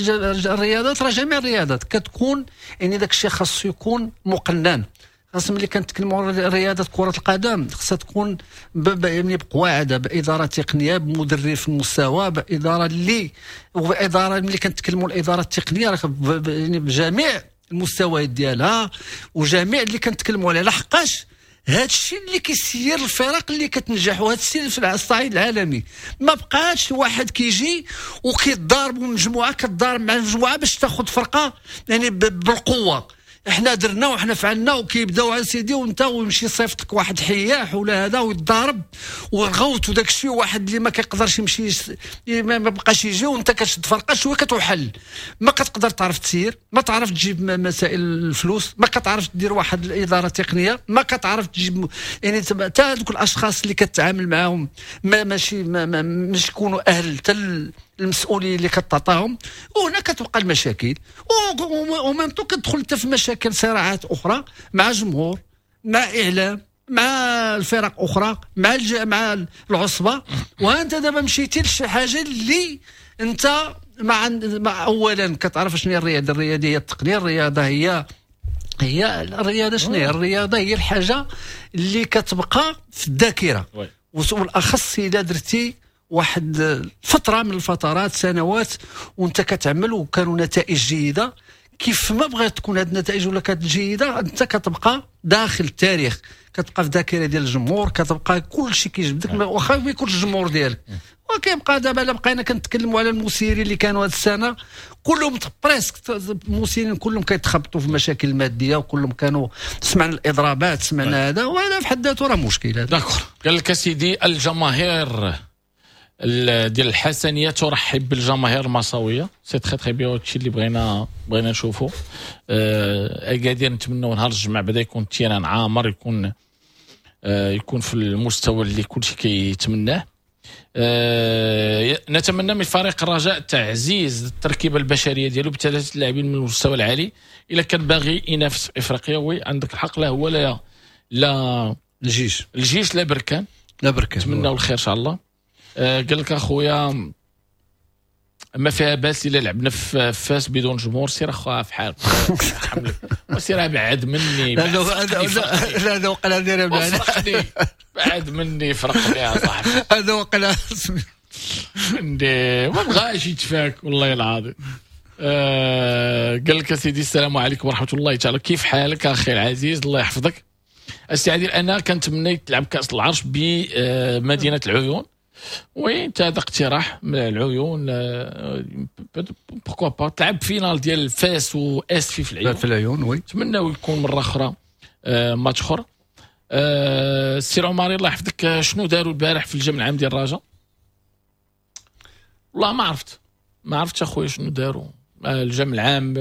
الرياضات راه جميع الرياضات كتكون يعني داك الشيء خاصو يكون مقنن. خاص ملي كنتكلموا على رياضة كره القدم خاصها تكون يعني بقواعد، بادارة تقنيه، بمدرب في المستوى، بادارة اللي وباداره ملي كنتكلموا الادارة التقنية راه يعني بجميع المستويات ديالها وجميع اللي كنتكلموا عليها، لحقاش هذا الشيء اللي كيسير الفرق اللي كتنجح، وهذا الشيء في الصعيد العالمي. ما بقاش واحد كيجي وكيتضارب مجموعة كتضارب مع مجموعة باش تاخذ فرقه يعني بالقوة، احنا درنا وحنا فعلنا، وكيبداو على سيدي وانت ويمشي صيفط لك واحد حياح ولا هذا ويتضارب وغوت وداك الشيء، واحد اللي ما كيقدرش يمشي ما بقاش يجي، وانت كتشد فرقه شوية كتوحل، ما كتقدر تعرف تسير، ما تعرف تجيب مسائل الفلوس، ما كتعرف تدير واحد الادارة التقنية، ما كتعرف تجيب يعني حتى هذوك الاشخاص اللي كتعامل معاهم ما ماشي ما مش يكونوا اهل حتى المسؤولية اللي كتعطاهم، وهنا كتبقى المشاكل، و même temps كتدخل انت في مشاكل صراعات اخرى مع جمهور، مع اعلام، مع الفرق اخرى، مع مع العصبة. وانت دابا مشيتي لشي حاجة اللي انت مع اولا كتعرف شنو هي الرياضة، الرياضة هي التقنية، الرياضة هي الرياضة شنو هي الرياضة، هي الحاجة اللي كتبقى في الذاكرة، وبالاخص اذا درتي واحد فترة من الفترات سنوات وانت كتعمل وكانوا نتائج جيدة، كيف ما بغات تكون هذه النتائج ولا كانت جيدة انت كتبقى داخل التاريخ، كتبقى في الذاكرة ديال الجمهور، كتبقى كل شيء كيجبدك واخا ما يكونش الجمهور ديالك. وكيبقى دابا الا بقينا كنتكلموا على المسيرين اللي كانوا هذه السنة كلهم presque المسيرين كلهم كيتخبطوا في مشاكل مادية، وكلهم كانوا سمعنا الاضرابات، سمعنا هذا، وهذا في حد ذاته راه مشكل. d'accord. قال لك سيدي الجماهير ديال الحسنيه ترحب بالجماهير المصاويه، c'est très très bien، هادشي اللي بغينا نشوفو. اكادير نتمنوا نهار الجمعة بدا يكون ال terrain عامر، يكون في المستوى اللي كلشي كيتمناه. نتمنى من فريق الرجاء تعزيز التركيبة البشرية ديالو بثلاثة لاعبين من المستوى العالي الا كان باغي ينافس في افريقيا. oui عندك الحق، لا هو لا الجيش لا بركان، نتمناو الخير ان شاء الله. قال لك اخويا ما فيها باس الا لعبنا في فاس بدون جمهور، سير اخويا في حالك وسير بعد مني. لا لا هذا وقع داير بعد مني، فرقني يا صاحبي، هذا وقع ما بغاش يتفاك والله العظيم. قال لك سيدي السلام عليكم ورحمة الله تعالى، كيف حالك اخي العزيز؟ الله يحفظك السي عادل. انا كنتمنى تلعب كاس العرش بمدينة العيون. oui انت هذا اقتراح من العيون، pourquoi pas تلعب finale ديال فاس واسفي في العيون، في العيون. oui نتمناو يكون مرة اخرى ماتش اخر. السي عماري الله يحفظك، شنو داروا البارح في الجمع العام ديال الرجاء؟ والله ما عرفتش اخويا شنو داروا الجمع العام،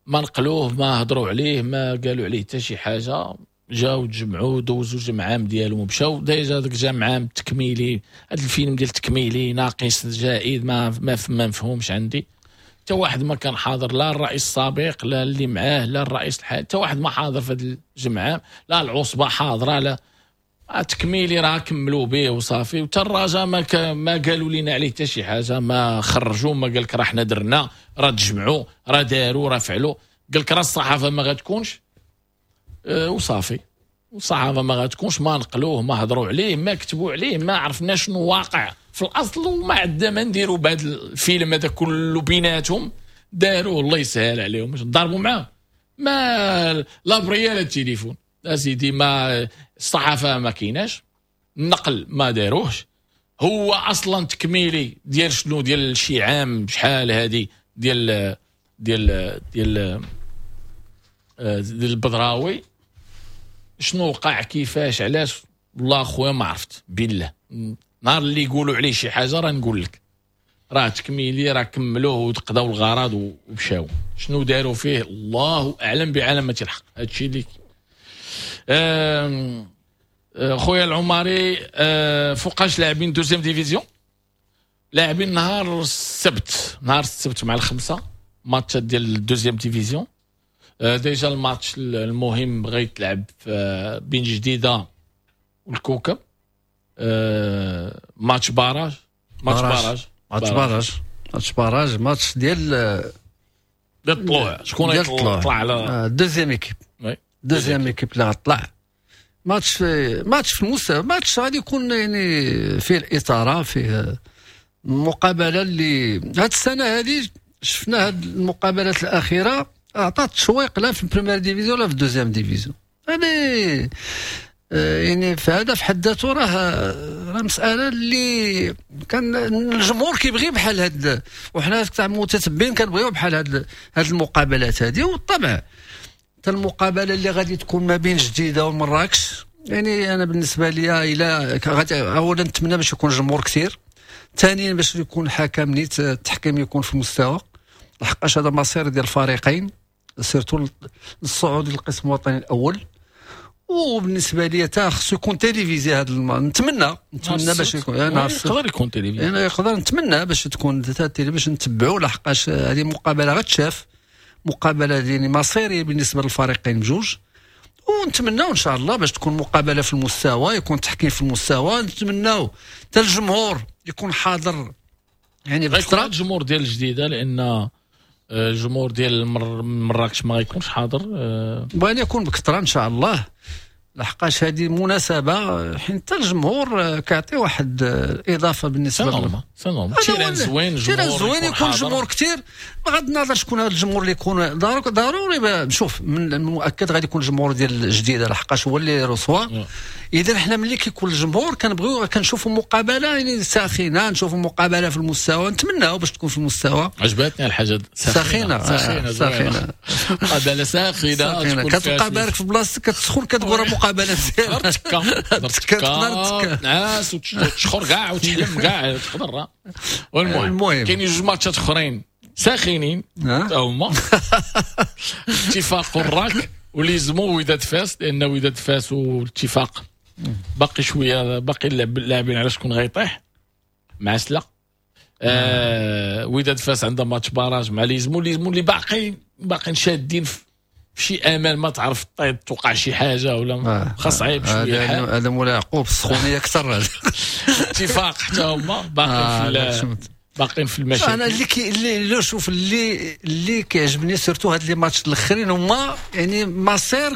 ما نقلوه، ما هضروا عليه، ما قالوا عليه حتى شي حاجة. جاو تجمعوا دوزوا جمع عام ديالهم ومشاو. déjà داك الجمع عام التكميلي، هذا الفيلم ديال التكميلي ناقص زائد ما مفهومش عندي. حتى واحد ما كان حاضر، لا الرئيس السابق لا اللي معاه لا الرئيس الحالي، حتى واحد ما حاضر في هذا الجمع عام، لا العصبة حاضره، لا التكميلي راه كملوا به وصافي. وحتى الرجاء ما قالوا لنا عليه حتى شي حاجة، ما خرجوا، ما قال لك راه حنا درنا، راه تجمعوا، راه داروا، راه فعلوا. قال لك راه الصحافة ما غتكونش، وصافي، والصحافة ما غتكونش، ما نقلوه، ما هضروا عليه، ما كتبوا عليه، ما عرفنا شنو واقع في الاصل، وما عندنا ما نديروا بهذا الفيلم هذا كله بيناتهم داروه، الله يسهل عليهم، ضربوا معاه ما لا بريال التليفون اسيدي، ما الصحافة ما كايناش، النقل ما داروهش، هو اصلا تكميلي ديال شنو، ديال شي عام شحال هذه ديال ديال ديال ديال البدراوي، شنو وقع كيفاش علاش، والله خويا ما عرفت بالله. نهار اللي يقولوا عليه شي حاجة راه نقول لك راه تكميلي، راه كملوه وتقضاو الغرض ومشاو، شنو داروا فيه الله اعلم بعلامة الحق. هادشي اللي خويا العماري. فوقاش لاعبين deuxième division؟ لاعبين نهار السبت، نهار السبت مع 5 ماتشات ديال ال deuxième division. déjà الماتش المهم غيتلعب بين جديدة والكوكب، match barrage، match barrage، match barrage، match barrage، ماتش ديال الطلوع، شكون يطلع على deuxième équipe، deuxième équipe اللي غطلع. ماتش في المستوى، ماتش غادي يكون يعني فيه الاثارة، فيه مقابله اللي هاد السنة هذه شفنا هاد المقابلات الاخيرة اعطات تشويق لا في ال première division لا في ال deuxième division. هذه يعني في هذا في حد ذاته راه مسالة اللي كان الجمهور كيبغي بحال هاد، وحنا تاع المتتبعين كنبغيو بحال هاد المقابلات هذه. والطبع حتى المقابلة اللي غادي تكون ما بين جديدة ومراكش، يعني انا بالنسبة لي الى غادي اولا نتمنى باش يكون جمهور كثير، ثانيا باش يكون حكم نيت، التحكيم يكون في المستوى، لحقاش هذا مصير ديال الفريقين surtout الصعود للقسم الوطني الاول. وبالنسبة لي تا خصو يكون télévisé هذا نتمنى باش يكون يقدر يكون télévisé، يعني يقدر نتمنى باش تكون télé باش نتبعوا، لحقاش هذه مقابله غتشاف، مقابله يعني مصيرية بالنسبة للفريقين بجوج. ونتمناو ان شاء الله باش تكون مقابله في المستوى، يكون تحكيم في المستوى، نتمناو حتى الجمهور يكون حاضر يعني بكثرة. الجمهور ديال الجديدة لان الجمهور ديال مراكش ما غيكونش حاضر، بغينا يكون بكثرة ان شاء الله، لحقاش هذه مناسبة حيت حتى الجمهور كيعطي واحد الاضافة بالنسبة لهم. c'est normal، terrain زوين، terrain زوين، يكون الجمهور كثير، بغض النظر شكون هذا الجمهور اللي يكون ضروري. شوف من المؤكد غادي يكون الجمهور ديال الجديدة لحقاش هو اللي reçoit. اذا حنا ملي كيكون الجمهور كنبغيو كنشوفوا مقابله يعني ساخنة، نشوفوا مقابله في المستوى، نتمناو باش تكون في المستوى. عجبتني الحاجة ساخنة ساخنة ساخنة، مقابله ساخنة، كتبقى بارك في بلاصتك كتسخن، كتقول مقابله مزيانه، تقدر تنعس وتشخر كاع وتحلم كاع تقدر. والمهم كاينين جوج ماتشات اخرين ساخنين حتى هما، اتفاق الراك وليزمو وداد فاس، لان وداد فاس والاتفاق باقي شوية، باقي اللاعبين على شكون غيطيح مع سلا. وداد فاس عندها match barrage مع ليزمو، ليزمو اللي باقيين شادين في شي امل، ما تعرف طيب توقع شي حاجة ولا خاص عيب شوية الحال. هذا مولاي يعقوب السخونيه اكثر. اتفاق حتى هما باقيين في المشاكل. انا اللي شوف اللي كيعجبني surtout هاد les matchs الاخرين هما يعني مصير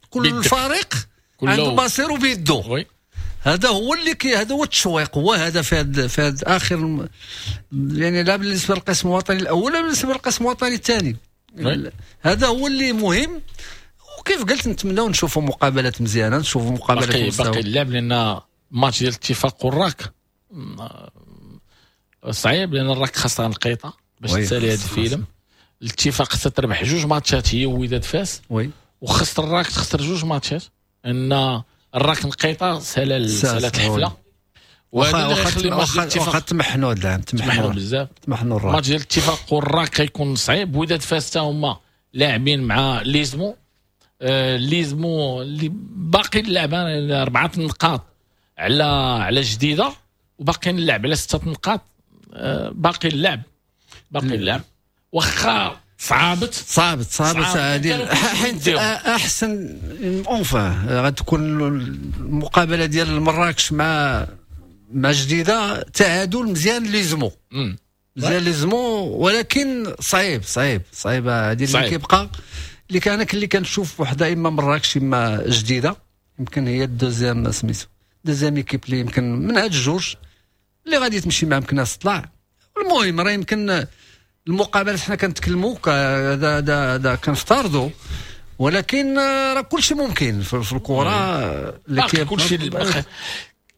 كل فريق عنده مصيره بيدو. هذا هو اللي هذا هو التشويق، هو هذا في هذا اخر يعني لا بالنسبة للقسم الوطني الاول ولا بالنسبة للقسم الوطني الثاني. هذا هو اللي مهم. وكيف قلت نتمناو نشوفوا مقابلات مزيانه، نشوفوا مقابلات باقي اللعب، لان ماتش ديال الاتفاق والراك صعيب، لان الراك خاصها نقيطه باش تسالي هذا الفيلم. الاتفاق خاصها تربح جوج ماتشات هي ووداد فاس، وخاص الراك تخسر جوج ماتشات، ان الراك نقيطه سالات الحفلة. واخا تمحنوا هذا العام، تمحنوا بزاف، تمحنوا الراك. ماتش ديال الاتفاق والراك غيكون صعيب. وداد فاس حتى هما لاعبين مع ليزمو، ليزمو اللي باقي اللعبة 4 نقاط على جديدة، وباقي اللعب على 6 نقاط، باقي اللعب واخا صعبت هذه حيت احسن enfin غتكون المقابلة ديال مراكش مع جديدة تعادل مزيان ليزمو. مزيان ليزمو، ولكن صعيب صعيب صعيب. هذه اللي كيبقى اللي كان اللي كنشوف وحده اما مراكش اما جديدة، يمكن هي ال deuxième سميتو deuxième équipe اللي يمكن من هاد الجوج اللي غادي تمشي مع مكناس تطلع. المهم راه يمكن المقابلات حنا كنتكلموا هذا كنفترضوا، ولكن راه كل شيء ممكن في الكره. اللي كل شيء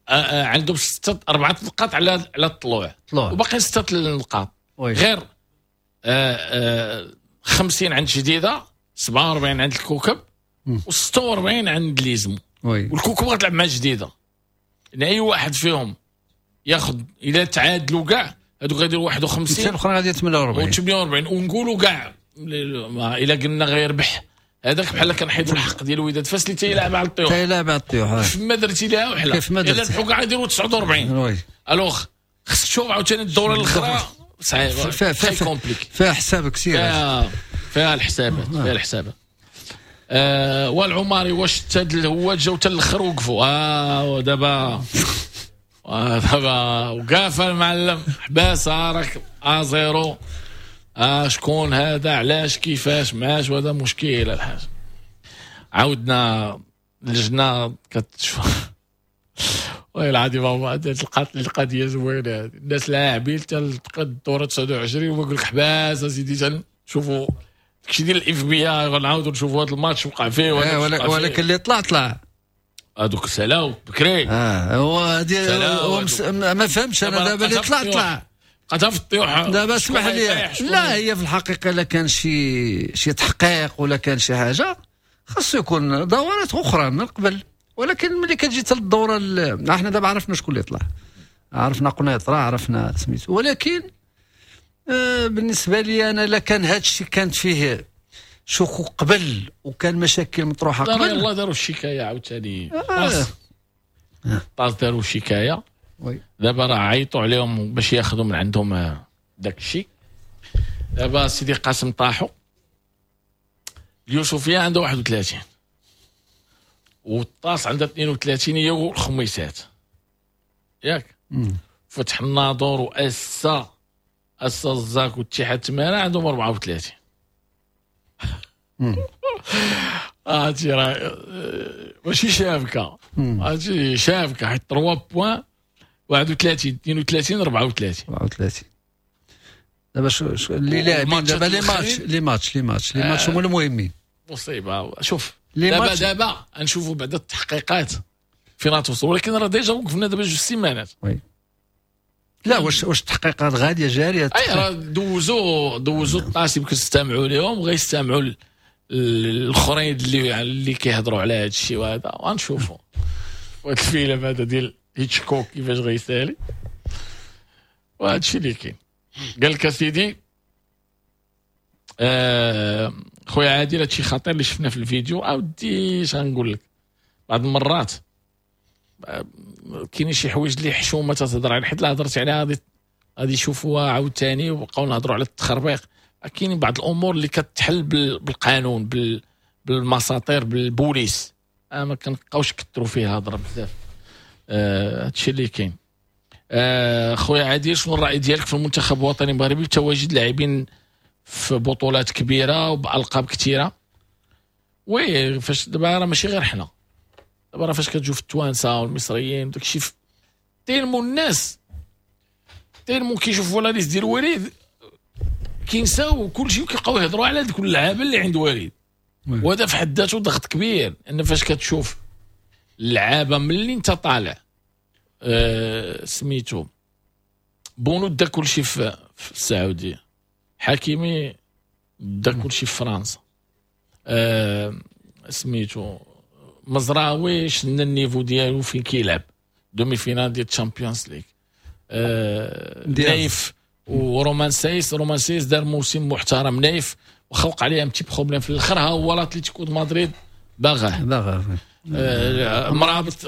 عندهم 6 4 نقاط على الطلوع، وباقي 6 نقاط غير 50 عند جديدة، 47 عند الكوكب، و46 عند ليزمو. والكوكب غتلعب مع جديدة، يعني اي واحد فيهم ياخذ الى تعادلوا كاع هذوك غيديروا 51، الاخرى غادي 48 48، ونقولوا كاع الا قلنا غيربح هذاك بحال كنحيدوا الحق ديال الوداد فاس اللي تيلعب على الطيوح، تيلعب على الطيوح كيف ما درتي لها وحله، كيف ما درتي الا ربحوا كاع يديروا 49. alors خصك تشوف عاوتاني الدورة الاخرى صعيبة، فيها compliqué، فيها حساب كثير، فيها الحسابات، فيها الحسابات. والعماري واش تاد هو جاو حتى الاخر وقفوا. دابا دابا وقاف المعلم حباسه راك 0. شكون هذا، علاش، كيفاش، معاش، وهذا مشكلة الحاج. عاودنا اللجنة كتشوف والله العظيم هما تلقات القضية زوينة، الناس لاعبين حتى الدورة 29 ويقول لك حباس اسيدي شوفوا داكشي ديال ال FBI، غنعاودوا نشوفوا هذا الماتش وقع فيه. ولكن اللي طلع طلع هذوك سلاو بكري. هو ما فهمش انا دابا اللي طلع طلع بقات في الطيوح دابا. اسمح لي، لا هي في الحقيقة الا كان شي تحقيق ولا كان شي حاجة خاصو يكون دورات اخرى من قبل، ولكن ملي كتجي حتى الدورة احنا دابا عرفنا شكون اللي طلع، عرفنا قنيطره، عرفنا سميتو، ولكن بالنسبة لي انا الا كان هذا الشيء كانت فيه شكوك قبل وكان مشاكل مطروحة قبل، يلاه داروا الشكاية عاوتاني. طاس داروا الشكاية، دابا راه عيطوا عليهم باش ياخذوا من عندهم داك الشيء. دابا سيدي قاسم طاحوا، اليوسفيه عندها 31 والطاس عندها 32 هي والخميسات ياك. فتح الناظور واسا الزاك والاتحاد تمارا عندهم 34. هادشي راه ماشي شابكه، هادشي شابكه حيت 3 points 31 32 34. دابا شو اللي لاعبين دابا les matchs les matchs les matchs les matchs هما المهمين. مصيبة. شوف دابا نشوفوا بعد التحقيقات فين غتوصل، ولكن راه déjà وقفنا دابا 2 سيمانات. oui لا واش التحقيقات غادية جارية؟ اي راه دوزو الطاس يمكن استمعوا لهم وغيستمعوا الاخرين اللي كيهضروا على هذا الشيء وهذا، وغنشوفوا وهذا الفيلم هذا ديال هيتشكوك كيفاش غيسالي، وهذا الشيء اللي كاين. قال لك اسيدي خويا عادل هادشي خطير اللي شفنا في الفيديو. اودي اش غنقول لك، بعض المرات كاينين شي حوايج اللي حشومه تتهضر عليها، حيت لا هضرت عليها غادي يشوفوها عاوتاني وبقاو نهضروا على التخربيق. كاين بعض الامور اللي كتحل بالقانون، بالمساطير، بالبوليس، ما كنبقاوش كثروا فيها هضره بزاف. هادشي اللي كاين. خويا عادل، شنو الراي ديالك في المنتخب الوطني المغربي بتواجد لاعبين في بطولات كبيرة وبالقاب كثيرة؟ oui فاش دابا راه ماشي غير حنا، دابا راه فاش كتشوف التوانسة والمصريين وداك الشيء tellement الناس tellement كيشوفوا la liste ديال وليد كينساو كلشي وكيبقاو يهضروا على ديك اللعابه اللي عند وليد، وهذا في حد ذاته ضغط كبير. ان فاش كتشوف اللعابه ملي انت طالع سميتو بونو دا كلشي في السعودية، حكيمي دا كلشي في فرنسا، سميتو مزراوي شنا ال niveau ديالو فين كيلعب demi-finale ديال الشامبيونز ليغ، نايف ورومان سايس، رومان سايس دار موسم محترم، نايف وخلق عليه un petit problème في الاخر، ها هو الاتليتيكو دو مدريد باغاه مرابط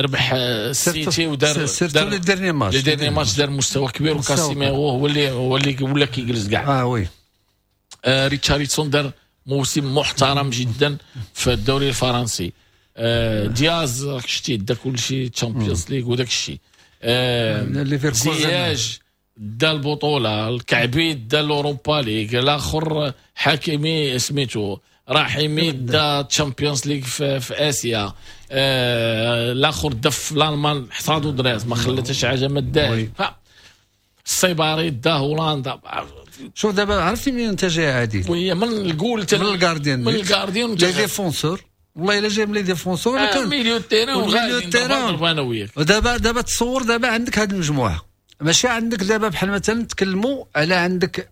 ربح السيتي ودار surtout les derniers matchs، les derniers matchs دار مستوى كبير، وكاسيميرو هو اللي ولا كيجلس كاع. oui ريتشاردسون دار موسم محترم جدا في الدوري الفرنسي، دياز راك شتي دا كلشي تشامبيونز ليغ وداك الشيء، زياج دا البطولة، الكعبي دا l'Europa League، الاخر حكيمي سميتو رحيمي دا Champions League في اسيا، الاخر دا في الالمان حصادو دريس ما خلى حتى شي حاجة ما داهش، السيباري دا هولندا. شوف دابا عرفتي منين انت جاي عادل؟ وهي من الجول من ال gardien، من ال gardien les défenseurs، والله الا جاي من les défenseurs ولا milieu terrain وغادي انا وياك. ودابا تصور دابا عندك هذه المجموعة، ماشي عندك دابا بحال مثلا نتكلموا على عندك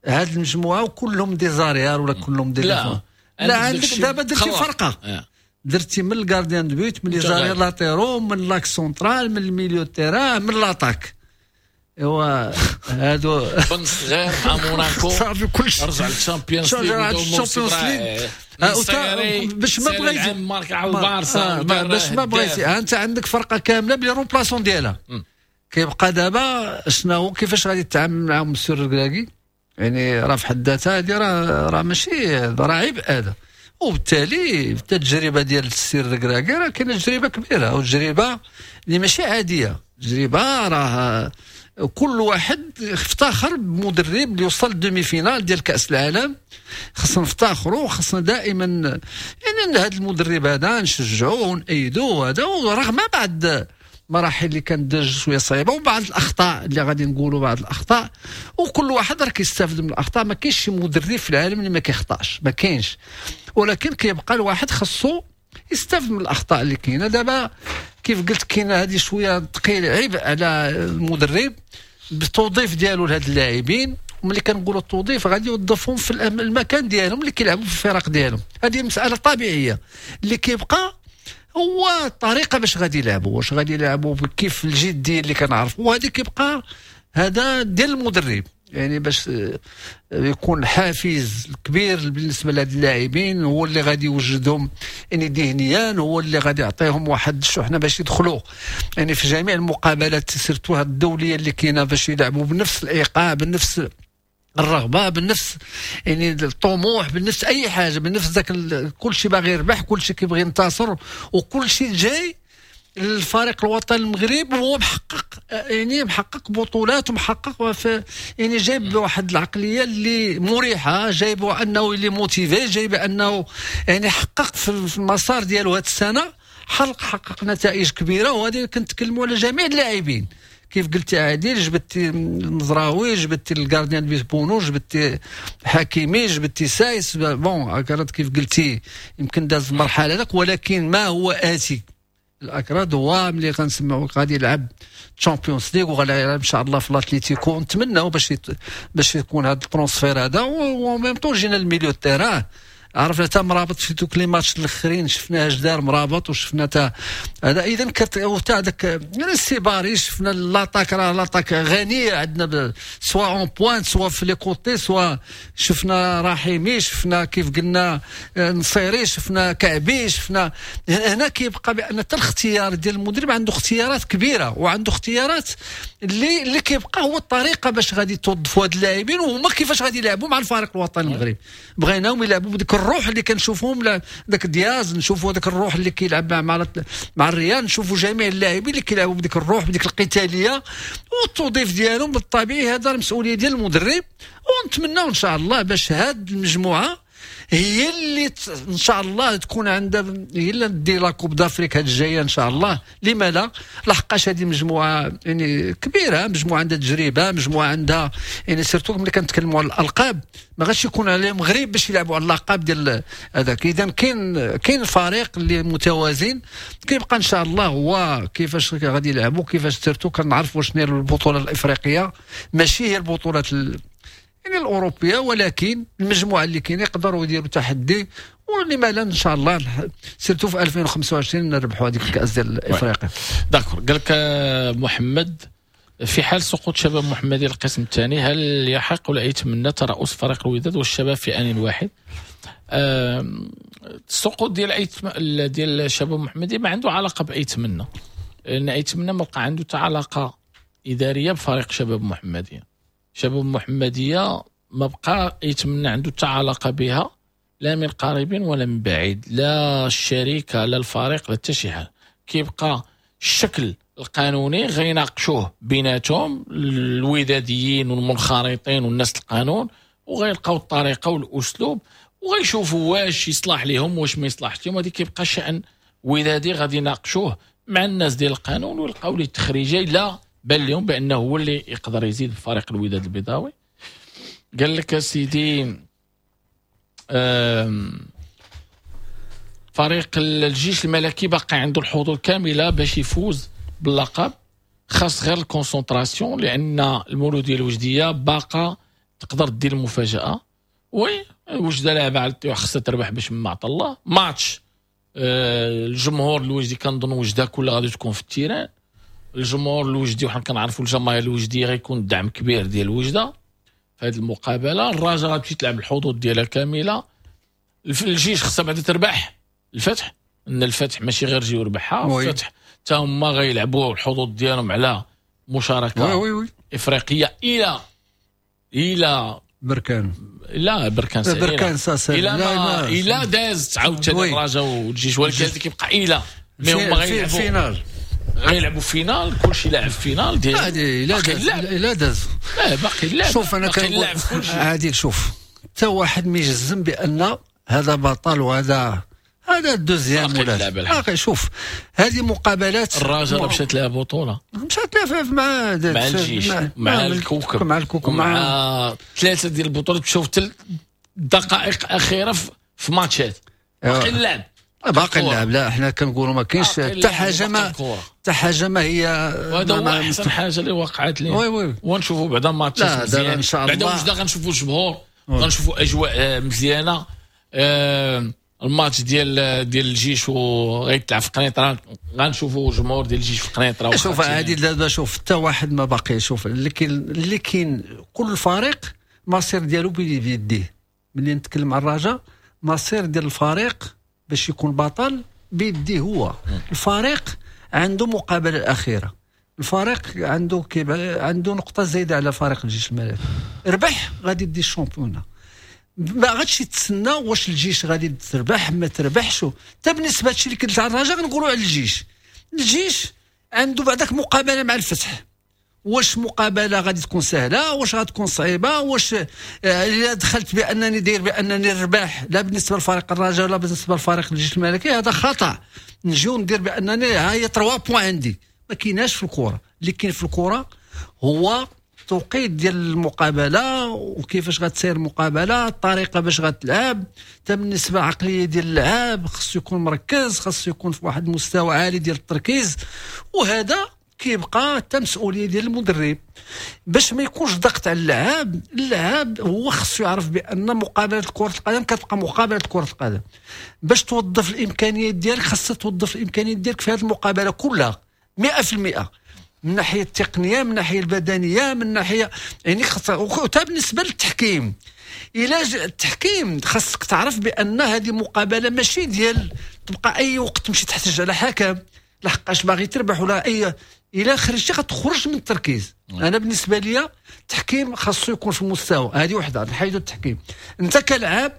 هذه المجموعة وكلهم des arrières ولا كلهم des لا, لا عندك دابا درتي فرقه درتي من ال gardien de but، من les arrières latéraux، من l'axe central، من ال milieu terrain، من l'attaque. ايوا هادو بن صغير مع موناكو صافي كلشي رجع لل Champions League باش ما بغيتي ماركا على البارسا باش ما بغيتي انت عندك فرقه كاملة ب les remplaçants ديالها. كيبقى دابا شنو كيفاش غادي تتعامل معاهم مسيو الركراكي؟ يعني راه في حد ذاتها هذه راه ماشي راه عيب هذا. وبالتالي التجربة ديال السير الركراكي راه كاينه تجربه كبيرة وتجربه اللي ماشي عادية، تجربه راه كل واحد افتخر بمدرب اللي وصل demi-finale ديال كاس العالم. خصنا نفتخروا، خصنا دائما يعني هذا المدرب هذا نشجعوه ونأيدوه هذا، ورغم بعد مراحل اللي كانت شوية صعيبة وبعض الاخطاء اللي غادي نقولوا بعض الاخطاء، وكل واحد راه كيستافد من الاخطاء. ما كاينش شي مدرب في العالم اللي ما كيخطاش، ما كاينش، ولكن كيبقى الواحد خصو يستافد من الاخطاء اللي كاينه. دابا كيف قلت كاينه هذه شوية ثقيل عبء على المدرب بالتوظيف ديالو لهاد اللاعبين. وملي كنقولوا التوظيف غادي يوظفهم في المكان ديالهم اللي كيلعبوا في الفرق ديالهم، هذه مسالة طبيعية. اللي كيبقى هو الطريقة باش غادي يلعبوا، واش غادي يلعبوا كيف الجدية اللي كنعرفوا، وهذه كيبقى هذا ديال المدرب يعني باش يكون حافز كبير بالنسبة لهاد اللاعبين، هو اللي غادي يوجدهم يعني ذهنيا، هو اللي غادي يعطيهم واحد الشحنة باش يدخلوا يعني في جميع المقابلات surtout هاد الدولية اللي كاينه، باش يلعبوا بنفس الايقاع، بنفس الرغبة، بنفس يعني الطموح، بنفس اي حاجة، بنفس ذاك كل شيء باغي يربح، كل شيء كيبغي ينتصر، وكل شيء جاي الفريق الوطني المغرب وهو محقق يعني محقق بطولات ومحقق يعني جايب واحد العقلية اللي مريحه، جايب انه اللي motivé، جايب انه يعني حقق في المسار ديالو هذه السنة، حقق نتائج كبيرة. وهذه كنتكلموا على جميع اللاعبين كيف قلتي عادل، جبتي المزراوي، جبتي ال gardien de but بونو، جبتي حكيمي، جبتي سايس، bon اكراد كيف قلتي يمكن داز المرحلة هذاك، ولكن ما هو اتي الاكراد هو ملي غنسمعوا غادي يلعب Champions League وغادي يلعب ان شاء الله في الاتليتيكو، نتمناو باش يكون هذا ال transfert هذا. و même temps جينا ال milieu terrain، عرفنا تا مرابط في دوك les matchs الاخرين شفناه اش دار مرابط، وشفنا تا هذا اذا تا هذاك يعني السيباري، شفنا l'attaque، راه l'attaque غنية عندنا soit en pointe soit في les côtés، soit شفنا رحيمي، شفنا كيف قلنا نصيري، شفنا كعبي، شفنا هنا. كيبقى بان حتى الاختيار ديال المدرب عنده اختيارات كبيرة، وعنده اختيارات اللي كيبقى هو الطريقة باش غادي توظفوا هاد اللاعبين وهما كيفاش غادي يلعبوا مع الفريق الوطني المغربي. بغيناهم يلعبوا بديك الروح اللي كنشوفوهم، داك دياز نشوفوا داك الروح اللي كيلعب مع الريال، نشوفوا جميع اللاعبين اللي كيلعبوا بديك الروح بديك القتالية والتوظيف ديالهم بالطبيعي. هذا المسؤولية ديال المدرب، ونتمناو ان شاء الله باش هاد المجموعة هي اللي ان شاء الله تكون عندها هي اللي دير la Coupe d'Afrique هاد الجاية ان شاء الله. لما لا؟ لحقاش هذه مجموعة يعني كبيرة، مجموعة عندها تجربه، مجموعة عندها يعني surtout ملي كنتكلموا على الالقاب ما غاديش يكون عليهم غريب باش يلعبوا على اللقب ديال هذاك. اذا كاين فريق اللي متوازن، كيبقى ان شاء الله هو كيفاش غادي يلعبوا، كيفاش surtout كنعرفوا شنو هي البطولة الافريقية، ماشي هي البطولات يعني الاوروبية، ولكن المجموعة اللي كاينه يقدروا يديروا تحدي، ولما لا ان شاء الله surtout في 2025 نربحوا هذيك الكاس ديال افريقيا. d'accord. قال لك محمد، في حال سقوط شباب محمدي القسم الثاني هل يحق لأيت ترأس فريق الوداد والشباب في آن واحد؟ السقوط ديال ديال شباب محمدي ما عنده علاقة بأيت منا، لان أيت منا ما بقى عنده حتى علاقة ادارية بفريق شباب محمديه. شباب محمديه ما بقى يتمنى عنده حتى علاقة بها، لا من قريب ولا من بعيد، لا الشركة لا الفريق لا حتى شي حاجة. كيبقى الشكل القانوني غيناقشوه بيناتهم الوداديين والمنخرطين والناس القانون، وغيلقاو الطريقة والاسلوب وغيشوفوا واش يصلح لهم واش ما يصلحش لهم. هذه كيبقى شأن ودادي غادي يناقشوه مع الناس ديال القانون ويلقاو ليه التخريجه الا بان لهم بانه هو اللي يقدر يزيد فريق الوداد البيضاوي. قال لك سيدي فريق الجيش الملكي باقي عنده الحظوظ كاملة باش يفوز باللقب، خاص غير ال concentration، لان المولوديه الوجديه باقا تقدر دير المفاجاة. oui وجده لعبه على الطيوح، خاصها تربح باش ما عطى الله ماتش. الجمهور الوجدي كنظن وجده كلها غادي تكون في ال terrain. الجمهور الوجدي وحنا كنعرفوا الجماهير الوجديه غيكون دعم كبير ديال وجده في هذه المقابلة. الرجاء غتمشي تلعب الحظوظ ديالها كاملة. الجيش خاصها بعدا تربح الفتح، ان الفتح ماشي غير جي وربحها، الفتح حتى هما غيلعبوا الحظوظ ديالهم على مشاركة oui oui. افريقية الى الى بركان، لا بركان بركان ساسا الى الى دازت عاوتاني الرجاء والجيش، ولكن كيبقى الى mais هما غيلعبوا finale، غيلعبوا finale، كلشي لاعب finale ديال هادي الا داز الا داز لا باقي اللعب. شوف انا كنقول عادل، شوف حتى واحد ما يجزم بان هذا بطل وهذا هذا ال deuxième ولا باقي. شوف هذه مقابلات الرجاء مشات لها بطوله، مشات لها مع الجيش مع الكوكب مع الكوكب مع ثلاثة ديال البطولات، مشاو في دقائق اخيرة في ماتشات. باقي اللعب باقي اللعب. لا حنا كنقولوا ما كاينش حتى حاجة، ما حتى حاجة ما هي، وهذا هو احسن حاجة اللي وقعت لي. oui oui ونشوفوا بعدا ماتشات مزيان ان شاء الله، بعدا وجده غنشوفوا الجمهور، غنشوفوا اجواء مزيانه. الماتش ديال الجيش وغيتلعب في قنيطره، غنشوفوا الجمهور ديال الجيش في قنيطره. شوف عادل دابا، شوف حتى واحد ما باقي. شوف اللي كاين كل فريق مصير ديالو بيديه. ملي نتكلم على الرجاء، مصير ديال الفريق باش يكون بطل بيديه هو. الفريق عنده مقابله الاخيرة، الفريق عنده عنده نقطة زايدة على فريق الجيش الملكي. ربح غادي يدي ال championnat، ما غاديش يتسنى واش الجيش غادي تربح ما تربحش. حتى بالنسبة لهادشي اللي كنت على الرجاء غنقولوا على الجيش، الجيش عنده بعداك مقابله مع الفتح. واش مقابله غادي تكون سهلة، واش غتكون صعيبة، واش الا دخلت بانني داير بانني الرباح لا بالنسبة لفريق الرجاء ولا بالنسبة لفريق الجيش الملكي، هذا خطا. نجيو ندير بانني ها هي 3 points عندي، ما كايناش في الكره. اللي كاين في الكره هو التوقيت ديال المقابلة وكيفاش غتسير المقابلة، الطريقة باش غتلعب. حتى بالنسبة العقلية ديال اللعاب خصو يكون مركز، خصو يكون في واحد المستوى عالي ديال التركيز، وهذا كيبقى حتى مسؤولية ديال المدرب باش ما يكونش ضغط على اللاعب. اللاعب هو خصو يعرف بان مقابله كره القدم كتبقى مقابله كره القدم. باش توظف الامكانيات ديالك خاصك توظف الامكانيات ديالك في هذه المقابلة كلها 100%، من الناحية التقنية، من الناحية البدنية، من ناحية يعني خاص. وحتى بالنسبة للتحكيم، الى التحكيم خاصك تعرف بان هذه مقابله ماشي ديال تبقى اي وقت تمشي تحتج على حكم لحقاش باغي تربح ولا اي. الى خرجتي غتخرج من التركيز. انا بالنسبة لي التحكيم خاصو يكون في المستوى. هذه وحده، نحيدو التحكيم. انت كلاعب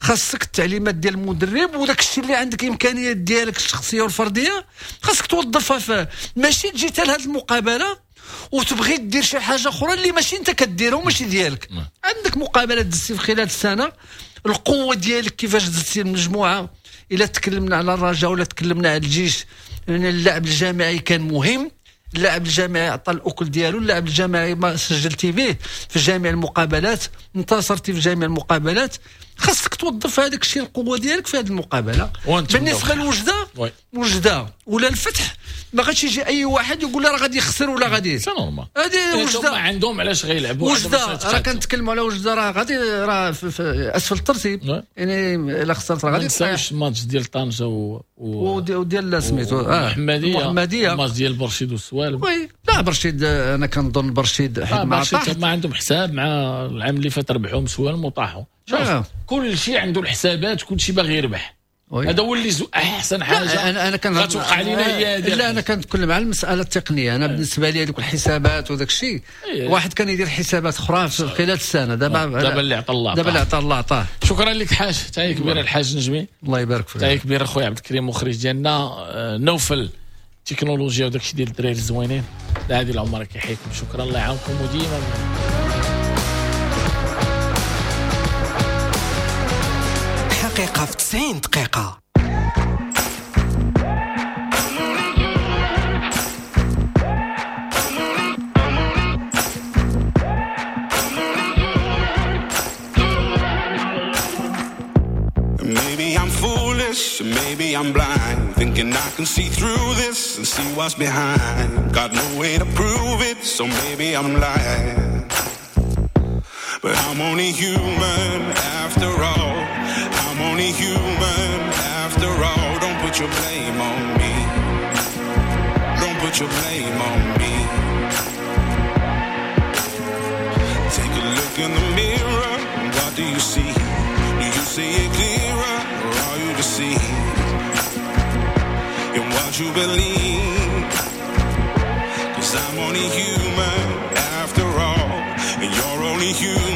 خاصك التعليمات ديال المدرب وداك الشيء اللي عندك امكانيات ديالك الشخصية والفرديه خاصك توظفها، ماشي تجي حتى لهاد المقابلة وتبغي دير شي حاجة اخرى اللي ماشي انت كديرها وماشي ديالك. عندك مقابله دزتي في خلال السنة، القوة ديالك كيفاش دزتي المجموعة. الا تكلمنا على الرجاء ولا تكلمنا على الجيش، يعني اللعب الجماعي كان مهم. اللاعب الجامعي عطى الاكل ديالو، اللاعب الجامعي ما سجلتي به في جميع المقابلات، انتصرتي في جميع المقابلات، خاصك توظف هذاك الشيء القوة ديالك في هذه المقابلة. بالنسبة لوجده، وجده ولا الفتح ما غاديش يجي اي واحد يقول راه غادي يخسر ولا غادي، c'est normal. هذه وجده عندهم علاش غيلعبوا وجده. راه كنتكلموا على وجده راه غادي راه في اسفل الترتيب، يعني الا خسرت راه غادي. ما تنساوش الماتش ديال طنجه وديال سميتو المحمدية، الماتش ديال برشيد والسوالم. oui لا برشيد انا كنظن برشيد حيت ما طاح، ما عندهم حساب مع العام اللي فات ربحوا سوالم وطاحوا. كل شيء عنده الحسابات، كل شيء باغي يربح. هذا هو اللي احسن حاجة. انا كان غتوقع علينا هي هذه. لا انا كنتكلم على المسالة التقنية. انا بالنسبة لي هذوك الحسابات وداك الشيء، واحد كان يدير حسابات اخرى في خلال السنة. دابا اللي عطى الله، دابا اللي عطى الله عطاه. شكرا لك حاج، تحية كبيرة الحاج نجمي، الله يبارك فيك. تحية كبيرة خويا عبد الكريم مخرج ديالنا. نوفل التكنولوجيا وداك الشيء ديال الدراري الزوينين. عادل العمر كيحييكم، شكرا، الله يعاونكم وديما حقيقة في 90 دقيقة. Maybe I'm foolish, maybe I'm blind, thinking I can see through this and see what's behind. Got no way to prove it, so maybe I'm lying. But I'm only human after all. I'm only human after all. Don't put your blame on me. Don't put your blame on me. Take a look in the mirror, what do you see? Do you see it clearer, or are you deceived in what you believe? 'Cause I'm only human after all, and you're only human.